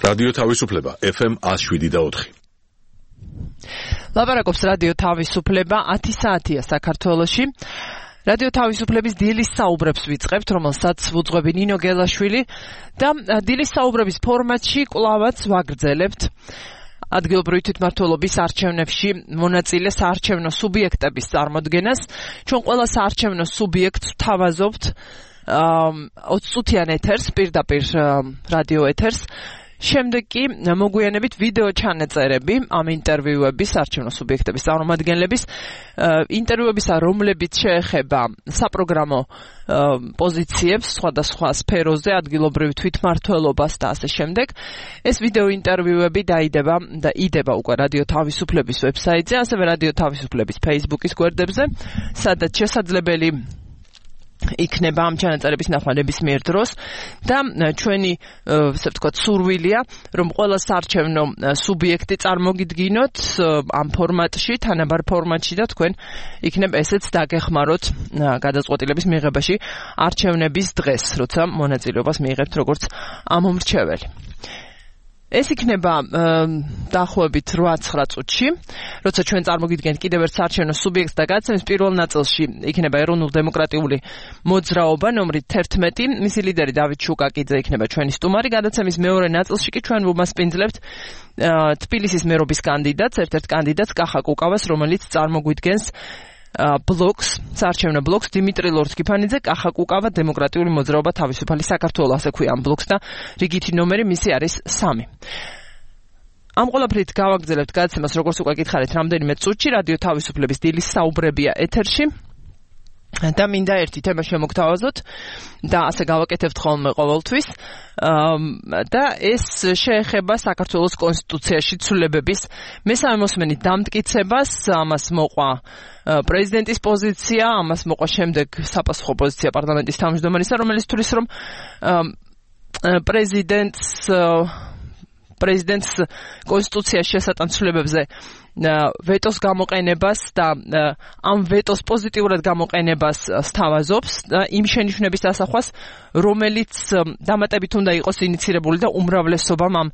რადიო თავისუფლება FM 107.4. ლაპარაკობს რადიო თავისუფლება 10 საათია საქართველოში. რადიო თავისუფლების დილის საუბრებს ვიწყებთ, რომელსაც ვუძღვები ნინო გელაშვილი და დილის საუბრების ფორმატში კვლავაც ვაგრძელებთ ადგილობრივი თვითმმართველობის არჩევნებში მონაწილე საარჩევნო სუბიექტების წარმოდგენას. ჩვენ ყველა საარჩევნო სუბიექტს ვთავაზობთ 20 წუთიან ეთერს, პირდაპირ რადიო ეთერს. შემდეგ კი მოგვიანებით ვიდეო ჩანაწერები ამ ინტერვიუების არჩევნო სუბიექტების წარმომადგენლების ინტერვიუებისა, რომლებიც შეეხება საპროგრამო პოზიციებს სხვადასხვა სფეროზე, ადგილობრივ თვითმმართველობას და ასე შემდეგ. ეს ვიდეო ინტერვიუები დაიდება და იდება უკვე რადიო თავისუფლების ვებსაიტზე, ასევე რადიო თავისუფლების Facebook-ის გვერდებზე, სადაც შესაძლებელი იქნება ამ ჩანაწერების ნახვა ნებისმიერ დროს და ჩვენი ასე ვთქვათ სურვილია რომ ყველა საარჩევნო სუბიექტი წარმოგიდგინოთ ამ ფორმატში, თანაბარ ფორმატში და თქვენ იქნებ ესეც დაგეხმაროთ გადაწყვეტილების მიღებაში არჩევნების დღეს, როცა მონაწილეობას მიიღებთ როგორც ამომრჩეველი. ეს იქნება დაახლოებით 8-9 წუთში, როცა ჩვენ წარმოგიდგენთ კიდევ ერთ საარჩევნო სუბიექტს და გადაცემის პირველ ნაწილში იქნება ეროვნულ-დემოკრატიული მოძრაობა ნომრით 11, მისი ლიდერი დავით შუკაკიძე იქნება ჩვენი სტუმარი. გადაცემის მეორე ნაწილში კი ჩვენ ვუმასპინძლებთ თბილისის მერობის კანდიდატს, ერთ-ერთ კანდიდატს კახა კუკავას, რომელიც წარმოგვიდგენს ბლოკს, საარჩევნო ბლოკს დიმიტრი ლორთქიფანიძე, კახა კუკავა, დემოკრატიული მოძრაობა თავისუფალი საქართველო, ასე ქვია ამ ბლოკს და რიგითი ნომერი მისი არის 3. ამ ყველაფრით გავაგრძელებთ გადაცემას, როგორც უკვე გითხარით, რამდენიმე წუთში რადიო თავისუფლების დილის საუბრებია ეთერში. და მინდა ერთი თემა შემოგთავაზოთ და ასე გავაკეთებთ ხოლმე ყოველთვის და ეს შეეხება საქართველოს კონსტიტუციაში ცვლილებების მესამე მოსმენის დამტკიცებას. ამას მოყვა პრეზიდენტის პოზიცია, ამას მოყვა შემდეგ საპასუხო პოზიცია პარლამენტის თავმჯდომარისა, რომელიც თვლის რომ პრეზიდენტს კონსტიტუციაში შესატან ცვლილებებზე ვეტოს გამოყენებას და ამ ვეტოს პოზიტიურად გამოყენებას სთავაზობს და იმ შენიშვნების დასახვას, რომელიც დამატებით უნდა იყოს ინიცირებული და უმრავლესობამ ამ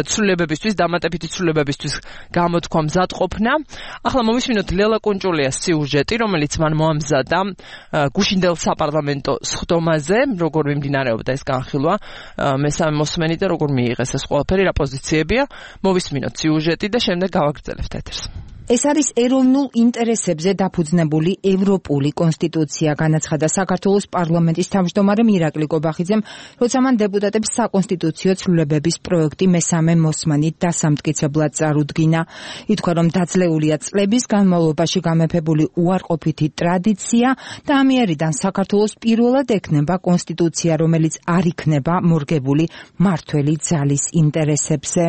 ცვლილებებისთვის, დამატებითი ცვლილებებისთვის გამოთქვა მზადყოფნა. ახლა მოვისმინოთ ლელა კუნჭულიას სიუჟეტი, რომელიც მან მოამზადა გუშინდელ საპარლამენტო სხდომაზე, როგორ მიმდინარეობდა ეს განხილვა მესამე მოსმენი და როგორ მიიღეს ეს ყველაფერი, რა პოზიციებია. მოვისმინოთ სიუჟეტი და შემდეგ გავაგრძელებთ ეთერს. ეს არის ეროვნულ ინტერესებზე დაფუძნებული ევროპული კონსტიტუცია, განაცხადა საქართველოს პარლამენტის თავმჯდომარემ ირაკლი კობახიძემ, როცა მან დეპუტატების საკონსტიტუციო ცვლილებების პროექტი მესამე მოსმენით დასამტკიცებლად წარუდგინა. ითქვა, რომ დაძლეულია წლების განმავლობაში გამეფებული უარყოფითი ტრადიცია და ამიერიდან საქართველოს პირველად ექნება კონსტიტუცია, რომელიც არ იქნება მორგებული მმართველი ძალის ინტერესებზე.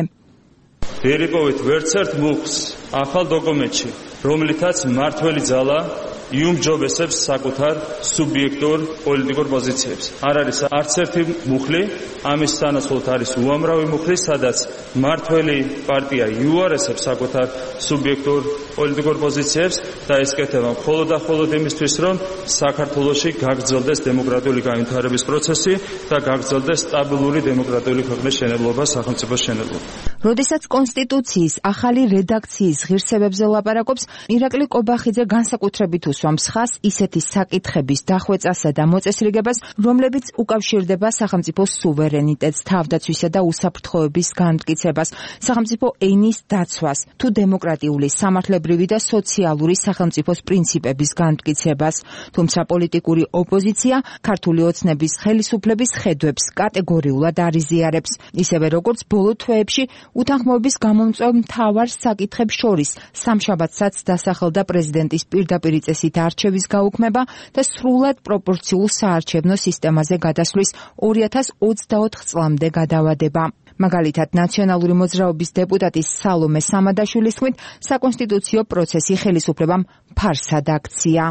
ვერიპოვით ვერცერთ მუხლს ახალ დოკუმენტში, რომლითაც მმართველი ძალა იუმჯობესებს საკუთარ სუბიექტურ პოლიტიკურ პოზიციებს. არ არის არც ერთი მუხლი, ამის თანახმად არის უამრავი მუხლი, სადაც მმართველი პარტია იუარესებს საკუთარ სუბიექტურ პოლიტიკურ პოზიციებს და ეს კეთება მხოლოდ და მხოლოდ იმისთვის, რომ საქართველოში გაგრძელდეს დემოკრატიული განვითარების პროცესი და გაგრძელდეს სტაბილური დემოკრატიული ქვეყნის შენებლობა, სახელმწიფოს შენებლობა. როდესაც კონსტიტუციის ახალი რედაქციის ღირსებებზე ლაპარაკობს, ირაკლი კობახიძე განსაკუთრებით უსვამს ხაზს ისეთი საკითხების დახვეწასა და მოწესრიგებას, რომლებიც უკავშირდება სახელმწიფოს სუვერენიტეტს, თავდაცვისა და უსაფრთხოების განმტკიცებას, სახელმწიფო ენის დაცვას, თუ დემოკრატიული, სამართლებრივი და სოციალური სახელმწიფოს პრინციპების განმტკიცებას. თუმცა პოლიტიკური ოპოზიცია ქართული ოცნების ხელისუფლების ხედვებს კატეგორიულად არ იზიარებს, ისევე როგორც ბოლო თვეებში უთანხმოების გამომწვევ მთავარ საკითხებს შორის სამშაბათსაც დასახელდა პრეზიდენტის პირდაპირ წესით არჩევის გაუქმება და სრულად პროპორციულ საარჩევნო სისტემაზე გადასვლის 2024 წლამდე გადავადება. მაგალითად, ნაციონალური მოძრაობის დეპუტატის სალომე სამადაშვილის თქმით, საკონსტიტუციო პროცესი ხელისუფლებამ ფარსად აქცია.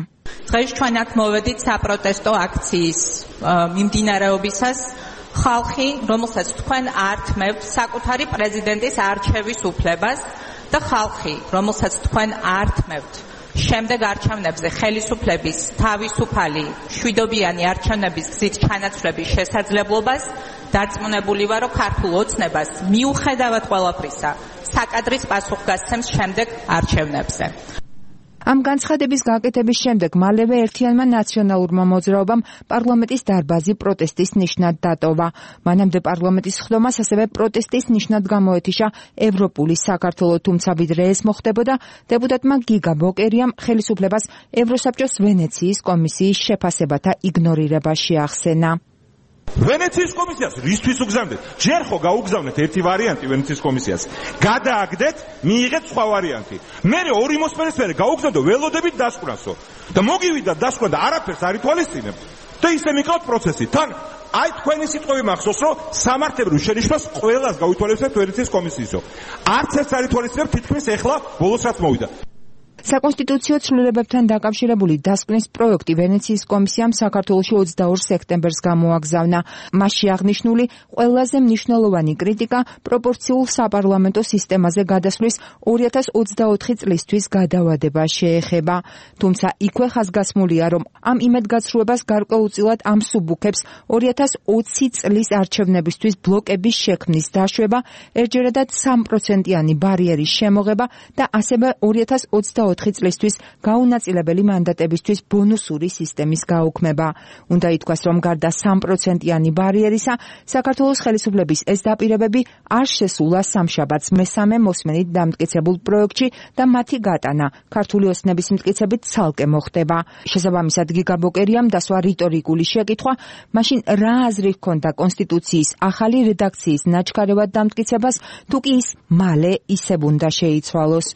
დღეს ჩვენ აქ მოვედით საპროტესტო აქციის მიმდინარეობისას. ხალხი, რომელსაც თქვენ ართმევთ საკუთარი პრეზიდენტის არჩევის უფლებას და ხალხი, რომელსაც თქვენ ართმევთ შემდეგ არჩევნებზე ხელისუფლების თავისუფალი შვიდობიანი არჩევნების გზით ჩანაცვლების შესაძლებლობას დარწმუნებული ვარ, რომ ქართულ ოცნებას მიუხედავად ყველაფრისა საკადრის პასუხგასცემს შემდეგ არჩევნებზე. ამ განცხადების გაკეთების შემდეგ მალევე ერთიანმა ნაციონალურმა მოძრაობამ პარლამენტის დარბაზი პროტესტის ნიშნად დატოვა. მანამდე პარლამენტის სხდომას ასევე პროტესტის ნიშნად გამოეთიშა ევროპული საქართველო, თუმცა ვიდრე ეს მოხდებოდა, დეპუტატმა გიგა ბოკერიამ ხელისუფლებას ევროსაბჭოს ვენეციის კომისიის შეფასებათა იგნორირება შეახსენა. ვენეციის კომისიას რისთვის უგზავნეთ? ჯერ ხო გაუგზავნეთ ერთი ვარიანტი ვენეციის კომისიას. გადააგდეთ, მიიღეთ სხვა ვარიანტი. მერე ორი მოსმენის მერე გაუგზავნდო ველოდებით დასკვნასო. და მოგივიდა დასკვნა და არაფერს არ ითვალისწინებთ. და ისე მიყავთ პროცესი. თან აი თქვენი სიტყვები მახსოვს, რომ სამართლებრივ შენიშვნას ყველას გავითვალისწინებთ ვენეციის კომისიისო. არც ერთს არ ითვალისწინებთ, თითქმის ეხლა ბოლოს რაც მოვიდა. საკონსტიტუციო ცვლილებებთან დაკავშირებული დასკვნის პროექტი ვენეციის კომისიამ საქართველოში 22 სექტემბერს გამოაგზავნა. მასში აღნიშნული ყველაზე მნიშვნელოვანი კრიტიკა პროპორციულ საპარლამენტო სისტემაზე გადასვლის 2024 წლისთვის გადავადება შეეხება. თუმცა იქვე ხაზგასმულია, რომ ამ იმედგაცრუებას გარკვეულწილად ამსუბუქებს 2020 წლის არჩევნებისთვის ბლოკების შექმნის დაშვება, ერთჯერადად 3%-იანი ბარიერის შემოღება და ასევე 2024 წლისთვის გაუნაწილებელი მანდატებისთვის ბონუსური სისტემის გაუქმება. უნდა ითქვას, რომ გარდა 3%-იანი ბარიერისა, საქართველოს ხელისუფლების ეს დაპირებები არ შესულა სამშაბათს მესამე მოსმენით დამტკიცებულ პროექტში და მათი გატანა ქართული ოცნების მტკიცებით ცალკე მოხდება. შესაბამისად, გიგა ბოკერიამ დასვა რიტორიკული შეკითხვა, მაშინ რა აზრი ჰქონდა კონსტიტუციის ახალი რედაქციის ნაჩქარევად დამტკიცებას, თუ კი ის მალე ისევ უნდა შეიცვალოს.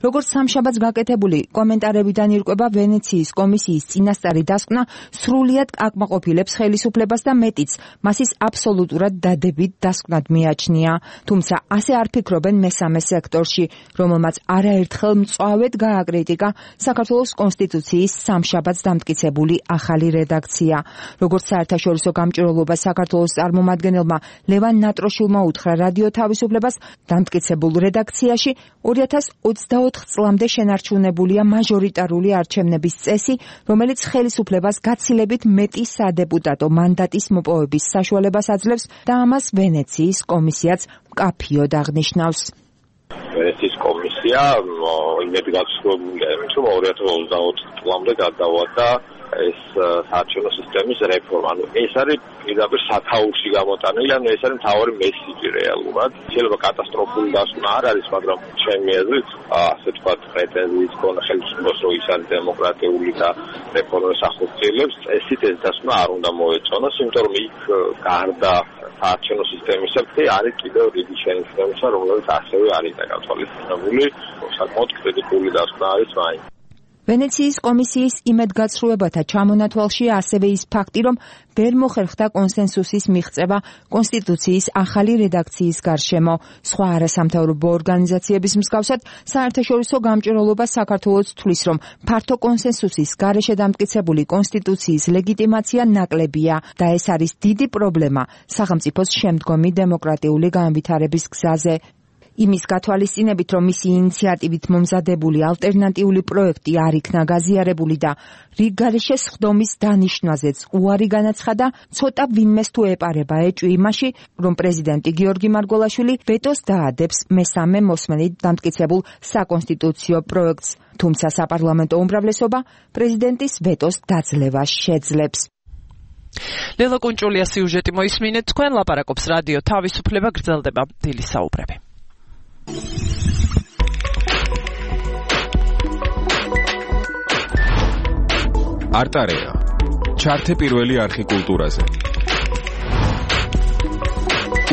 როგორც სამშაბათს გაკეთებული კომენტარებიდან ირკვევა, ვენეციის კომისიის წინასწარი დასკვნა სრულიად აკმაყოფილებს ხელისუფლებას და მეტიც, მას ის აბსოლუტურად დადებით დასკვნად მიაჩნია. თუმცა ასე არ ფიქრობენ მესამე სექტორში, რომელმაც არაერთხელ მწვავედ გააკრიტიკა საქართველოს კონსტიტუციის სამშაბათს დამტკიცებული ახალი რედაქცია. როგორც საერთაშორისო გამჭვირვალობა საქართველოს წარმომადგენელმა ლევან ნატროშილმა უთხრა რადიო თავისუფლებას, დამტკიცებულ რედაქციაში 2024 წლამდე შენარჩუნებულია მაჟორიტარული არჩევნების წესი, რომელიც ხელისუფლებას გაცილებით მეტი სადეპუტატო მანდატის მოპოვების საშუალებას აძლევს და ამას ვენეციის კომისიაც მკაფიოდ აღნიშნავს. ვენეციის კომისია იმედგაცრუებულია, რომ 2024 წლამდე გადავადა ეს საარჩევნო სისტემის რეფორმა. ეს არის პირდაპირ სათაურში გამოტანილი, ეს არის მთავარი მესიჯი რეალურად. შეიძლება კატასტროფული დასკვნა არ არის, მაგრამ ჩემი აზრით, ასე თქვა, პრეტენზიის ქონა ხელისუფლებას, რომ ის არის დემოკრატიული და რეფორმის ახორციელებს, ესეთ ეს დასკვნა არ უნდა მოეწონოს, იმიტომ რომ იქ გარდა საარჩევნო სისტემისა არის კიდევ დიდი შენიშვნებისა, რომელიც ასევე არის დაკავშირებული, საკმაოდ კრიტიკული დასკვნა არის მაინც. ვენეციის კომისიის იმედგაცრუებათა ჩამონათვალში ასევე ის ფაქტი, რომ ვერ მოხერხდა კონსენსუსის მიღწევა კონსტიტუციის ახალი რედაქციის გარშემო. სხვა არასამთავრობო ორგანიზაციების მსგავსად, საერთაშორისო გამჭვირვალობა საქართველოს თვლის, რომ ფართო კონსენსუსის გარეშე დამტკიცებული კონსტიტუციის ლეგიტიმაცია ნაკლებია და ეს არის დიდი პრობლემა სახელმწიფოს შემდგომი დემოკრატიული განვითარების გზაზე. იმის გათვალისწინებით, რომ მისი ინიციატივით მომზადებული ალტერნატიული პროექტი არ იქნა გაზიარებული და რიგ გარეშე სხდომის დანიშვნაზეც უარი განაცხადა, ცოტა ვინმეს თუ ეპარება ეჭვი იმაში, რომ პრეზიდენტი გიორგი მარგველაშვილი ვეტოს დაადებს მესამე მოსმენით დამტკიცებულ საკონსტიტუციო პროექტს, თუმცა საპარლამენტო უმრავლესობა პრეზიდენტის ვეტოს დაძლევას შეძლებს. ლელა კუნჭულია სიუჟეტი მოისმინეთ, თქვენ ლაპარაკობს რადიო თავისუფლება, გრძელდება დილის საუბრები. არტარეა ჩართე პირველი არხი კულტურაზე.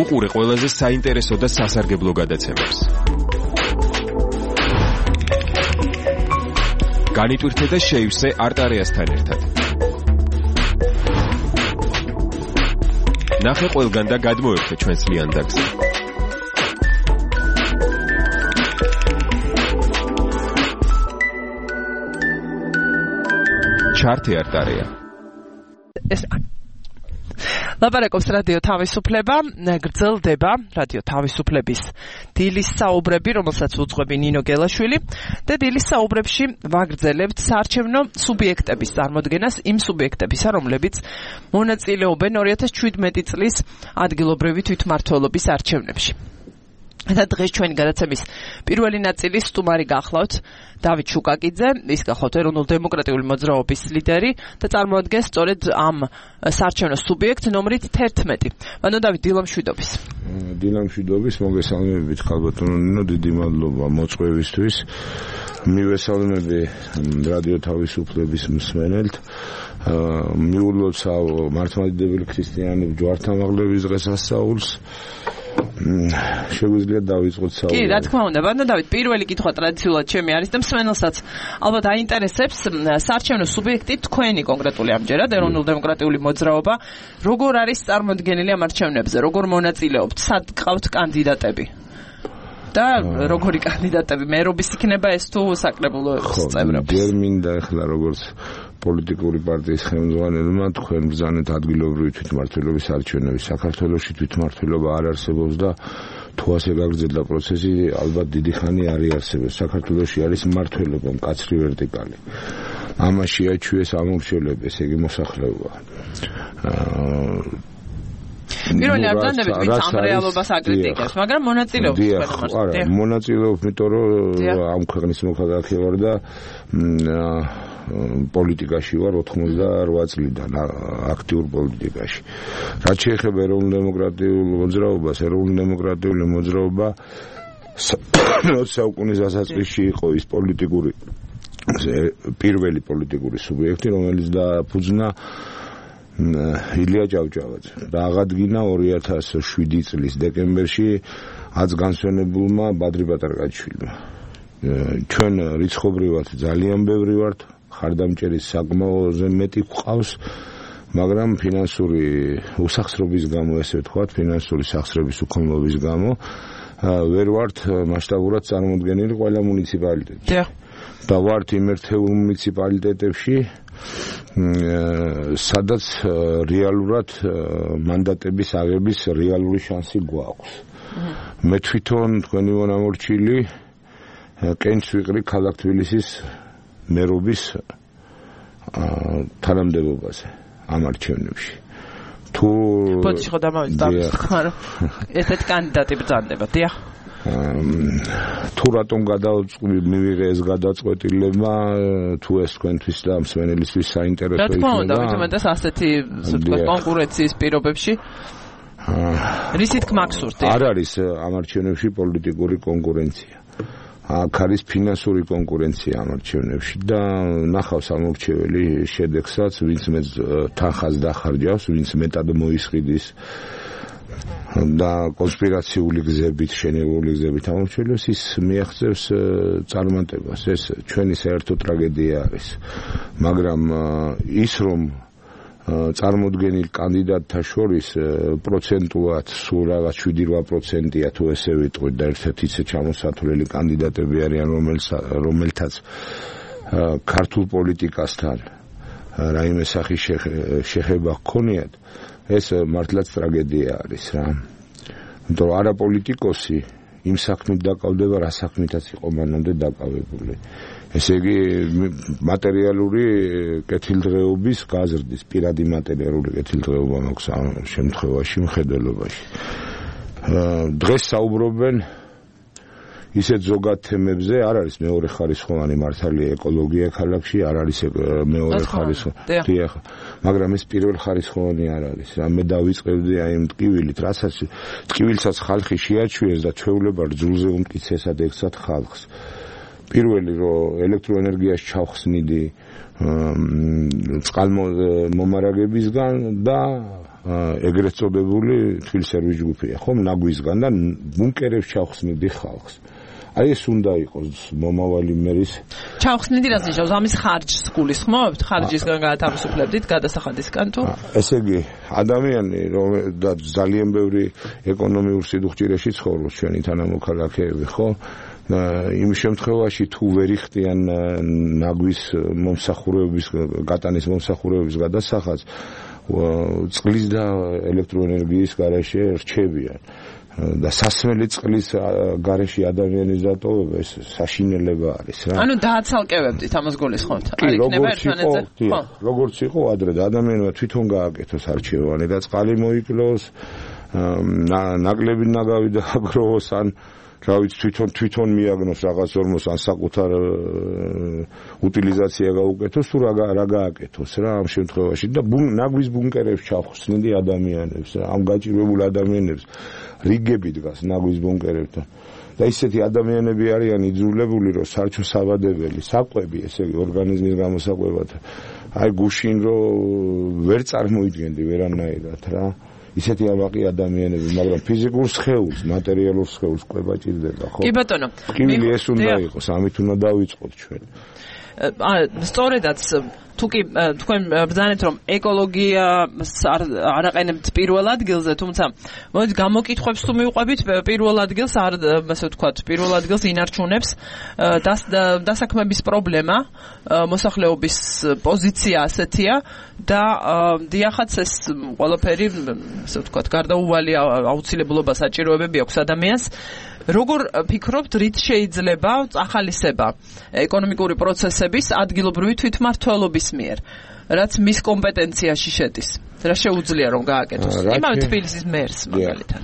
უყურე ყველაზე საინტერესო და სასარგებლო გადაცემებს. განიტვირთე და შეივსე არტარეასთან ერთად. ნახე ყველგან და გადმოერთე ჩვენს ლიანდაგს. ჩართე არტარეა. ლაპარაკობს რადიო თავისუფლება, გრძელდება რადიო თავისუფლების დილის საუბრები, რომელსაც უძღვები ნინო გელაშვილი და დილის საუბრებში ვაგრძელებთ საარჩევნო სუბიექტების წარმოდგენას, იმ სუბიექტებისა, რომლებიც მონაწილეობენ 2017 წლის ადგილობრივი თვითმმართველობის არჩევნებში. და დღეს ჩვენი გადაცემის პირველი ნაწილის სტუმარი გახლავთ დავით შუკაკიძე, ის გახლავთ ეროვნულ-დემოკრატიული მოძრაობის ლიდერი და წარმოადგენს სწორედ ამ საარჩევნო სუბიექტ ნომრით 11. ბანო დავით, დილამშვიდობის. დილამშვიდობის, მოგესალმებით ხალბატონო ნინო, დიდი მადლობა მოწვევისთვის. მივესალმები რადიო თავისუფლების მსმენელთ. მიულოცავ მართლმადიდებელი ქრისტიანების ჯვართამაღლების დღესასწაულს. შეგვიძლია დავიწყოთ საუბარი. კი, რა თქმა უნდა, ბანო დავით, პირველი კითხვა ტრადიციულად ჩემი არის და მსმენელსაც ალბათ აინტერესებს საარჩევნო სუბიექტი თქვენი კონკრეტული ამჯერად ეროვნულ-დემოკრატიული მოძრაობა, როგორ არის წარმოდგენილი ამ არჩევნებზე, როგორ მონაწილეობთ, სად გყავთ კანდიდატები? და როგორი კანდიდატები, მერობის იქნება ეს თუ საკრებულოს წევრები? ჯერ მინდა ახლა როგორც პოლიტიკური პარტიის ხელმძღვანელმა თქვენ ბრძანეთ ადგილობრივი თვითმმართველობის არჩევნები. საქართველოში თვითმმართველობა არ არსებობს და თუ ასე გაგრძელდა პროცესი, ალბათ დიდი ხანი არ იარსებებს. საქართველოში არის მმართველობა, მკაცრი ვერტიკალი. ამაში აჩვიეს ამორჩევლები, ესე იგი მოსახლეობა. პირველი არ დანებით ვინც ამ რეალობას აკრიტიკებს, მაგრამ მონაწილეობს თქვენ არა, მონაწილეობს, იმიტომ რომ ამ ქვეყნის მოქალაქე ვარ და პოლიტიკაში ვარ 88 წლიდან, აქტიურ პოლიტიკაში. რაც შეეხება ეროვნულ-დემოკრატიულ მოძრაობას, ეროვნულ-დემოკრატიული მოძრაობა 20 საუკუნის დასაწყისში იყო ის პოლიტიკური პირველი პოლიტიკური სუბიექტი, რომელიც დააფუძნა ილია ჭავჭავაძე და აღადგინა 2007 წლის დეკემბერში 10 განსვენებულმა ბადრი ბატარკაჩვილმა. ჩვენ რიცხობრივად ძალიან ბევრი ვართ, ხარდამჭერის საკმაოზე მეტი გვყავს, მაგრამ ფინანსური უსახსრობის გამო, ესე ვთქვათ, ფინანსური სახსრების უქონლობის გამო ვერ ვართ მასშტაბურად წარმოდგენილი ყველა მუნიციპალიტეტში. და ვართ იმ ერთეულ მუნიციპალიტეტებში, სადაც რეალურად მანდატების აღების რეალური შანსი გვაქვს. მე თვითონ თქვენი მონამორჩილი კენჭს ვიყრი ქალაქ თბილისის მერობის თანამდებობაზე ამ არჩევნებში. თუ ბოდიში ხო დამავიწყდა, მაგრამ ესეთ კანდიდატი ბრძანდება, დიახ. თუ რატომ მივიღე ეს გადაწყვეტილება, თუ ეს თქვენთვის და მსმენელისთვის საინტერესო იქნება. რა თქმა უნდა, ვთქვათ ასეთი კონკურენციის პირობებში რისით გმაგსურთ? არ არის ამ არჩევნებში პოლიტიკური კონკურენცია. აქ არის ფინანსური კონკურენცია ამ არჩევნებში და ნახავს ამორჩეველი შედეგსაც, ვინც მეც თანხას დახარჯავს, ვინც მეტად მოისყიდის და კონსპირაციული გზებით, შენელებული გზებით ამორჩევებს, ის მიაღწევს წარმატებას. ეს ჩვენი საერთო ტრაგედია არის. მაგრამ ის რომ წარმოდგენილ კანდიდატთა შორის პროცენტულად სულ რაღაც 7-8%-ია თუ ესე ვიტყვით და ერთ-ერთი ისე ჩამოსათვლელი კანდიდატები არიან, რომელთაც ქართულ პოლიტიკასთან რაიმე სახის შეხება ჰქონიათ, ეს მართლაც ტრაგედია არის რა. იმიტომ რომ არა პოლიტიკოსი იმ საქმით დაკავდება, რა საქმითაც იყო მანამდე დაკავებული. ესე იგი მატერიალური კეთილდღეობის გაზრდის, პირადი მატერიალური კეთილდღეობა მაქვს ამ შემთხვევაში მხედველობაში. დღეს საუბრობენ ისეთ ზოგად თემებზე, არ არის მეორე ხარისხოვანი მართალია ეკოლოგია ქალაქში, არ არის მეორე ხარისხოვანი. დიახ, მაგრამ ეს პირველ ხარისხოვანი არ არის. მე დავიწყებდი აი იმ ტკივილით, რასაც ტკივილსაც ხალხი შეაჩვიეს და ჩვეულება რძულზე უმტკიცესად ექცათ ხალხს. პირველი რომ ელექტროენერგიას ჩავხსნიდი წყალმომარაგებისგან და ეგრეთ წოდებული თბილისერვის ჯგუფია, ხომ, ნაგვისგან და ბუნკერებს ჩავხსნიდი ხალხს. აი ეს უნდა იყოს მომავალი მერის. ჩავხსნიდი რას ნიშნავს? ამის ხარჯს გულისხმობთ? ხარჯისგან გაათავისუფლებდით, გადასახადისგან თუ? ესე იგი, ადამიანი რომ და ძალიან ბევრი ეკონომიურ სიდუხჭირეში ცხოვრობს ჩვენი თანამოქალაქეები, ხო? იმ შემთხვევაში თუ ვერ იხდიან ნაგვის მომსახურების გატანის მომსახურების გადასახადს წყლის და ელექტროენერგიის გარეშე რჩებიან და სასმელი წყლის გარეშე ადამიანის დატოვება ეს საშინელება არის რა. ანუ დააცალკევებდით ამას გულისხმობთ. არ იქნება ერთმანეთზე. როგორც იყო ადრე და ადამიანმა თვითონ გააკეთოს არჩევანი და წყალი მოიკლოს, ნაკლები ნაგავი დააგროვოს ან რა ვიცი თვითონ მიაგნოს რაღაც ორმოს ან საკუთარ უტილიზაცია გაუკეთოს თუ რა გააკეთოს რა ამ შემთხვევაში და ნაგვის ბუნკერებს ჩახსნილი ადამიანებს რა ამ გაჭირვებულ ადამიანებს რიგები დგას ნაგვის ბუნკერებთან და ისეთი ადამიანები არიან იძულებული რომ სარჩო საბადებელი საკვები ესე იგი ორგანიზმის გამოსაკვებად აი გუშინ რომ ვერ წარმოიდგენდი ვერანაირად რა ისეთი ამაყი ადამიანები, მაგრამ ფიზიკურ სხეულს, მატერიალურ სხეულს ყვება ჭირდება, ხო? კი ბატონო. კიბილი ეს უნდა იყოს, ამით უნდა დავიწყოთ ჩვენ. სწორედაც თუ კი თქვენ ბრძანეთ რომ ეკოლოგიას არ აყენებთ პირველ ადგილზე, თუმცა მოდით გამოკითხვებს თუ მივყვებით პირველ ადგილს არ ასე ვთქვათ, პირველ ადგილს ინარჩუნებს დასაქმების პრობლემა, მოსახლეობის პოზიცია ასეთია და დიახაც ეს ყველაფერი ასე ვთქვათ, გარდაუვალი აუცილებლობა საჭიროებები აქვს ადამიანს. როგორ ფიქრობთ, რით შეიძლება ახალისება ეკონომიკური პროცესების ადგილობრივი თვითმმართველობის მიერ, რაც მის კომპეტენციაში შედის? რა შეუძლია რომ გააკეთოს? იმავე თბილისის მერს მაგალითად.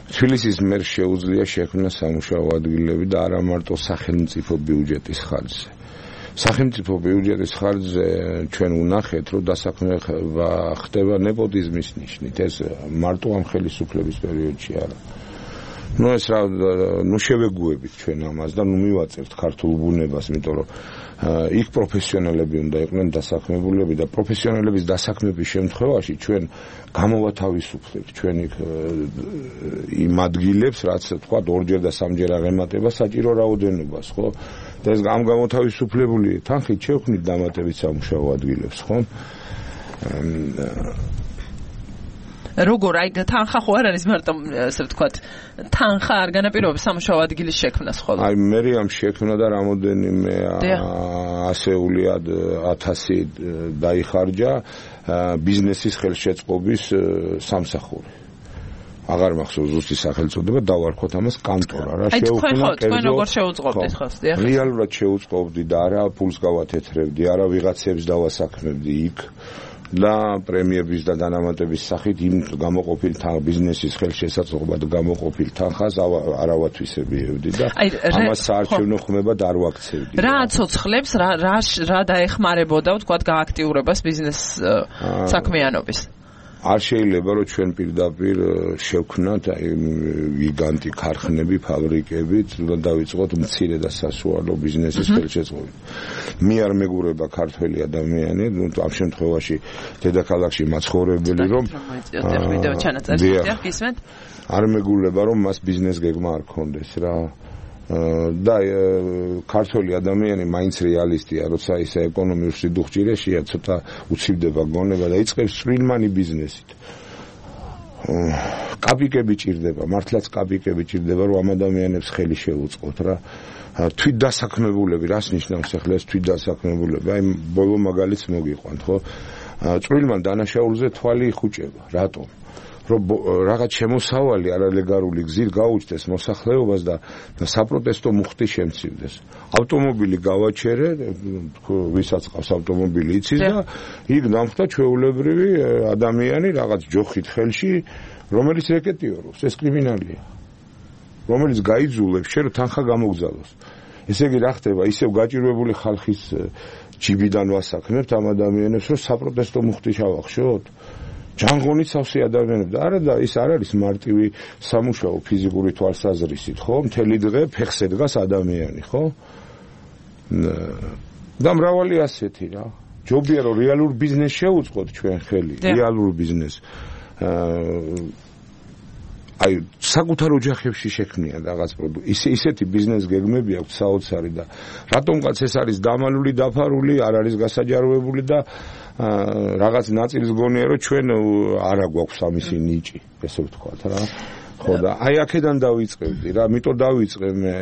თბილისის მერს შეუძლია შექმნა სამუშაო ადგილები და არა მარტო სახელმწიფო ბიუჯეტის ხარჯზე. სახელმწიფო ბიუჯეტის ხარჯზე ჩვენ ვნახეთ, რომ დასაქმება ხდება ნეპოტიზმის ნიშნით. ეს მარტო ამ ხელისუფლების პერიოდში არა. ნუ ეს რა ნუ შევეგუებით ჩვენ ამას და ნუ მივაწევთ ქართულ ბუნებას, იმიტომ რომ იქ პროფესიონალები უნდა იყვნენ დასაქმებულები და პროფესიონალების დასაქმების შემთხვევაში ჩვენ გამოვათავისუფლებთ ჩვენ იქ იმ ადგილებს, რაც თქვა ორჯერ და სამჯერ აღემატება საჭირო რაოდენობას, ხო? და ეს ამ გამოთავისუფლებული თანხით შევქმნით დამატებით სამუშაო ადგილებს, ხო? როგორ აი თანხა ხო არ არის მარტო ასე ვთქვათ თანხა არ განაპირობებს სამუშაო ადგილის შექმნას ხოლმე აი მე ამ შექმნა და რამოდენიმე ასეული 1000 დაიხარჯა ბიზნესის ხელშეწყობის სამსახური აღარ მახსოვს ზუსტი სახელწოდება დავარქვათ ამას კანტორა რა შეუქმნა თქვენ როგორ შეუწყობდით ხო რეალურად შეუწყობდი და არა ფულს გავათეთრებდი არა ვიღაცებს დავასაქმებდი იქ და პრემიების და დანამატების სახით იმ გამოყოფილ ბიზნესის ხელშესაწყობად გამოყოფილ თანხას არავათვისებიებდი და ამას საარჩევნო ხმებად არ ვაქცევდი. რა აცოცხლებს, რა დაეხმარებოდა, ვთქვათ, გააქტიურებას ბიზნეს საქმიანობის? არ შეიძლება რომ ჩვენ პირდაპირ შევქნათ გიგანტი ქარხნები, ფაბრიკები, და დავიწყოთ მცირე და სასუალო ბიზნესის ხელშეწყობით. მე არ მეგურება ქართველი ადამიანი, ამ შემთხვევაში დედაქალაქში მაცხოვრებელი რომ არ მეგულება რომ მას ბიზნეს გეგმა არ ქონდეს რა. და ქართველი ადამიანი მაინც რეალისტია, როცა ისე ეკონომიურ სიდუხჭირეშია, ცოტა უცივდება გონება და იწყებს სპრინმანი ბიზნესით. კაპიკები ჭირდება, მართლაც კაპიკები ჭირდება, რომ ამ ადამიანებს ხელი შეუწყოთ რა. თვითდასაქმებულები, რას ნიშნავს ახლა ეს თვითდასაქმებულები? აი ბოლო მაგალითს მოგიყვანთ, ხო? წვრილმან დანაშაულზე თვალი იხუჭება. რატომ? რომ რაღაც შემოსავალი არალეგალური გზით გაუჩნდეს მოსახლეობას და საპროტესტო მუხტი შემცირდეს. ავტომობილი გავაჩერე, ვისაც ყავს ავტომობილი იცის და იქ დამხვდა ჩვეულებრივი ადამიანი რაღაც ჯოხით ხელში, რომელიც რეკეტიორობს, ეს კრიმინალია. რომელიც გაიძულებს შენ თანხა გამოგზავნოს. ესე იგი რა ხდება, ისევ გაჭირვებული ხალხის ჯიბიდან ვასაქმებთ ამ ადამიანებს, რომ საპროტესტო მუხტი ჩავახშოთ. ჯანღონით სავსე ადამიანები და არა და ის არ არის მარტივი სამუშაო ფიზიკური თვალსაზრისით, ხო? მთელი დღე ფეხზე დგას ადამიანი, ხო? და მრავალი ასეთი რა. ჯობია რომ რეალურ ბიზნეს შევუწყოთ ჩვენ ხელი, რეალურ ბიზნეს. აი საკუთარ ოჯახებში შექმნიან რაღაც პროდუქტი. ისეთი ბიზნეს გეგმები აქვს საოცარი და რატომღაც ეს არის დამალული, დაფარული, არ არის გასაჯაროებული და რაღაც ნაწილს გონია რომ ჩვენ არა გვაქვს ამისი ნიჭი, ესე ვთქვათ რა. ხო და აი აქედან დავიწყებდი რა, იმიტომ დავიწყე მე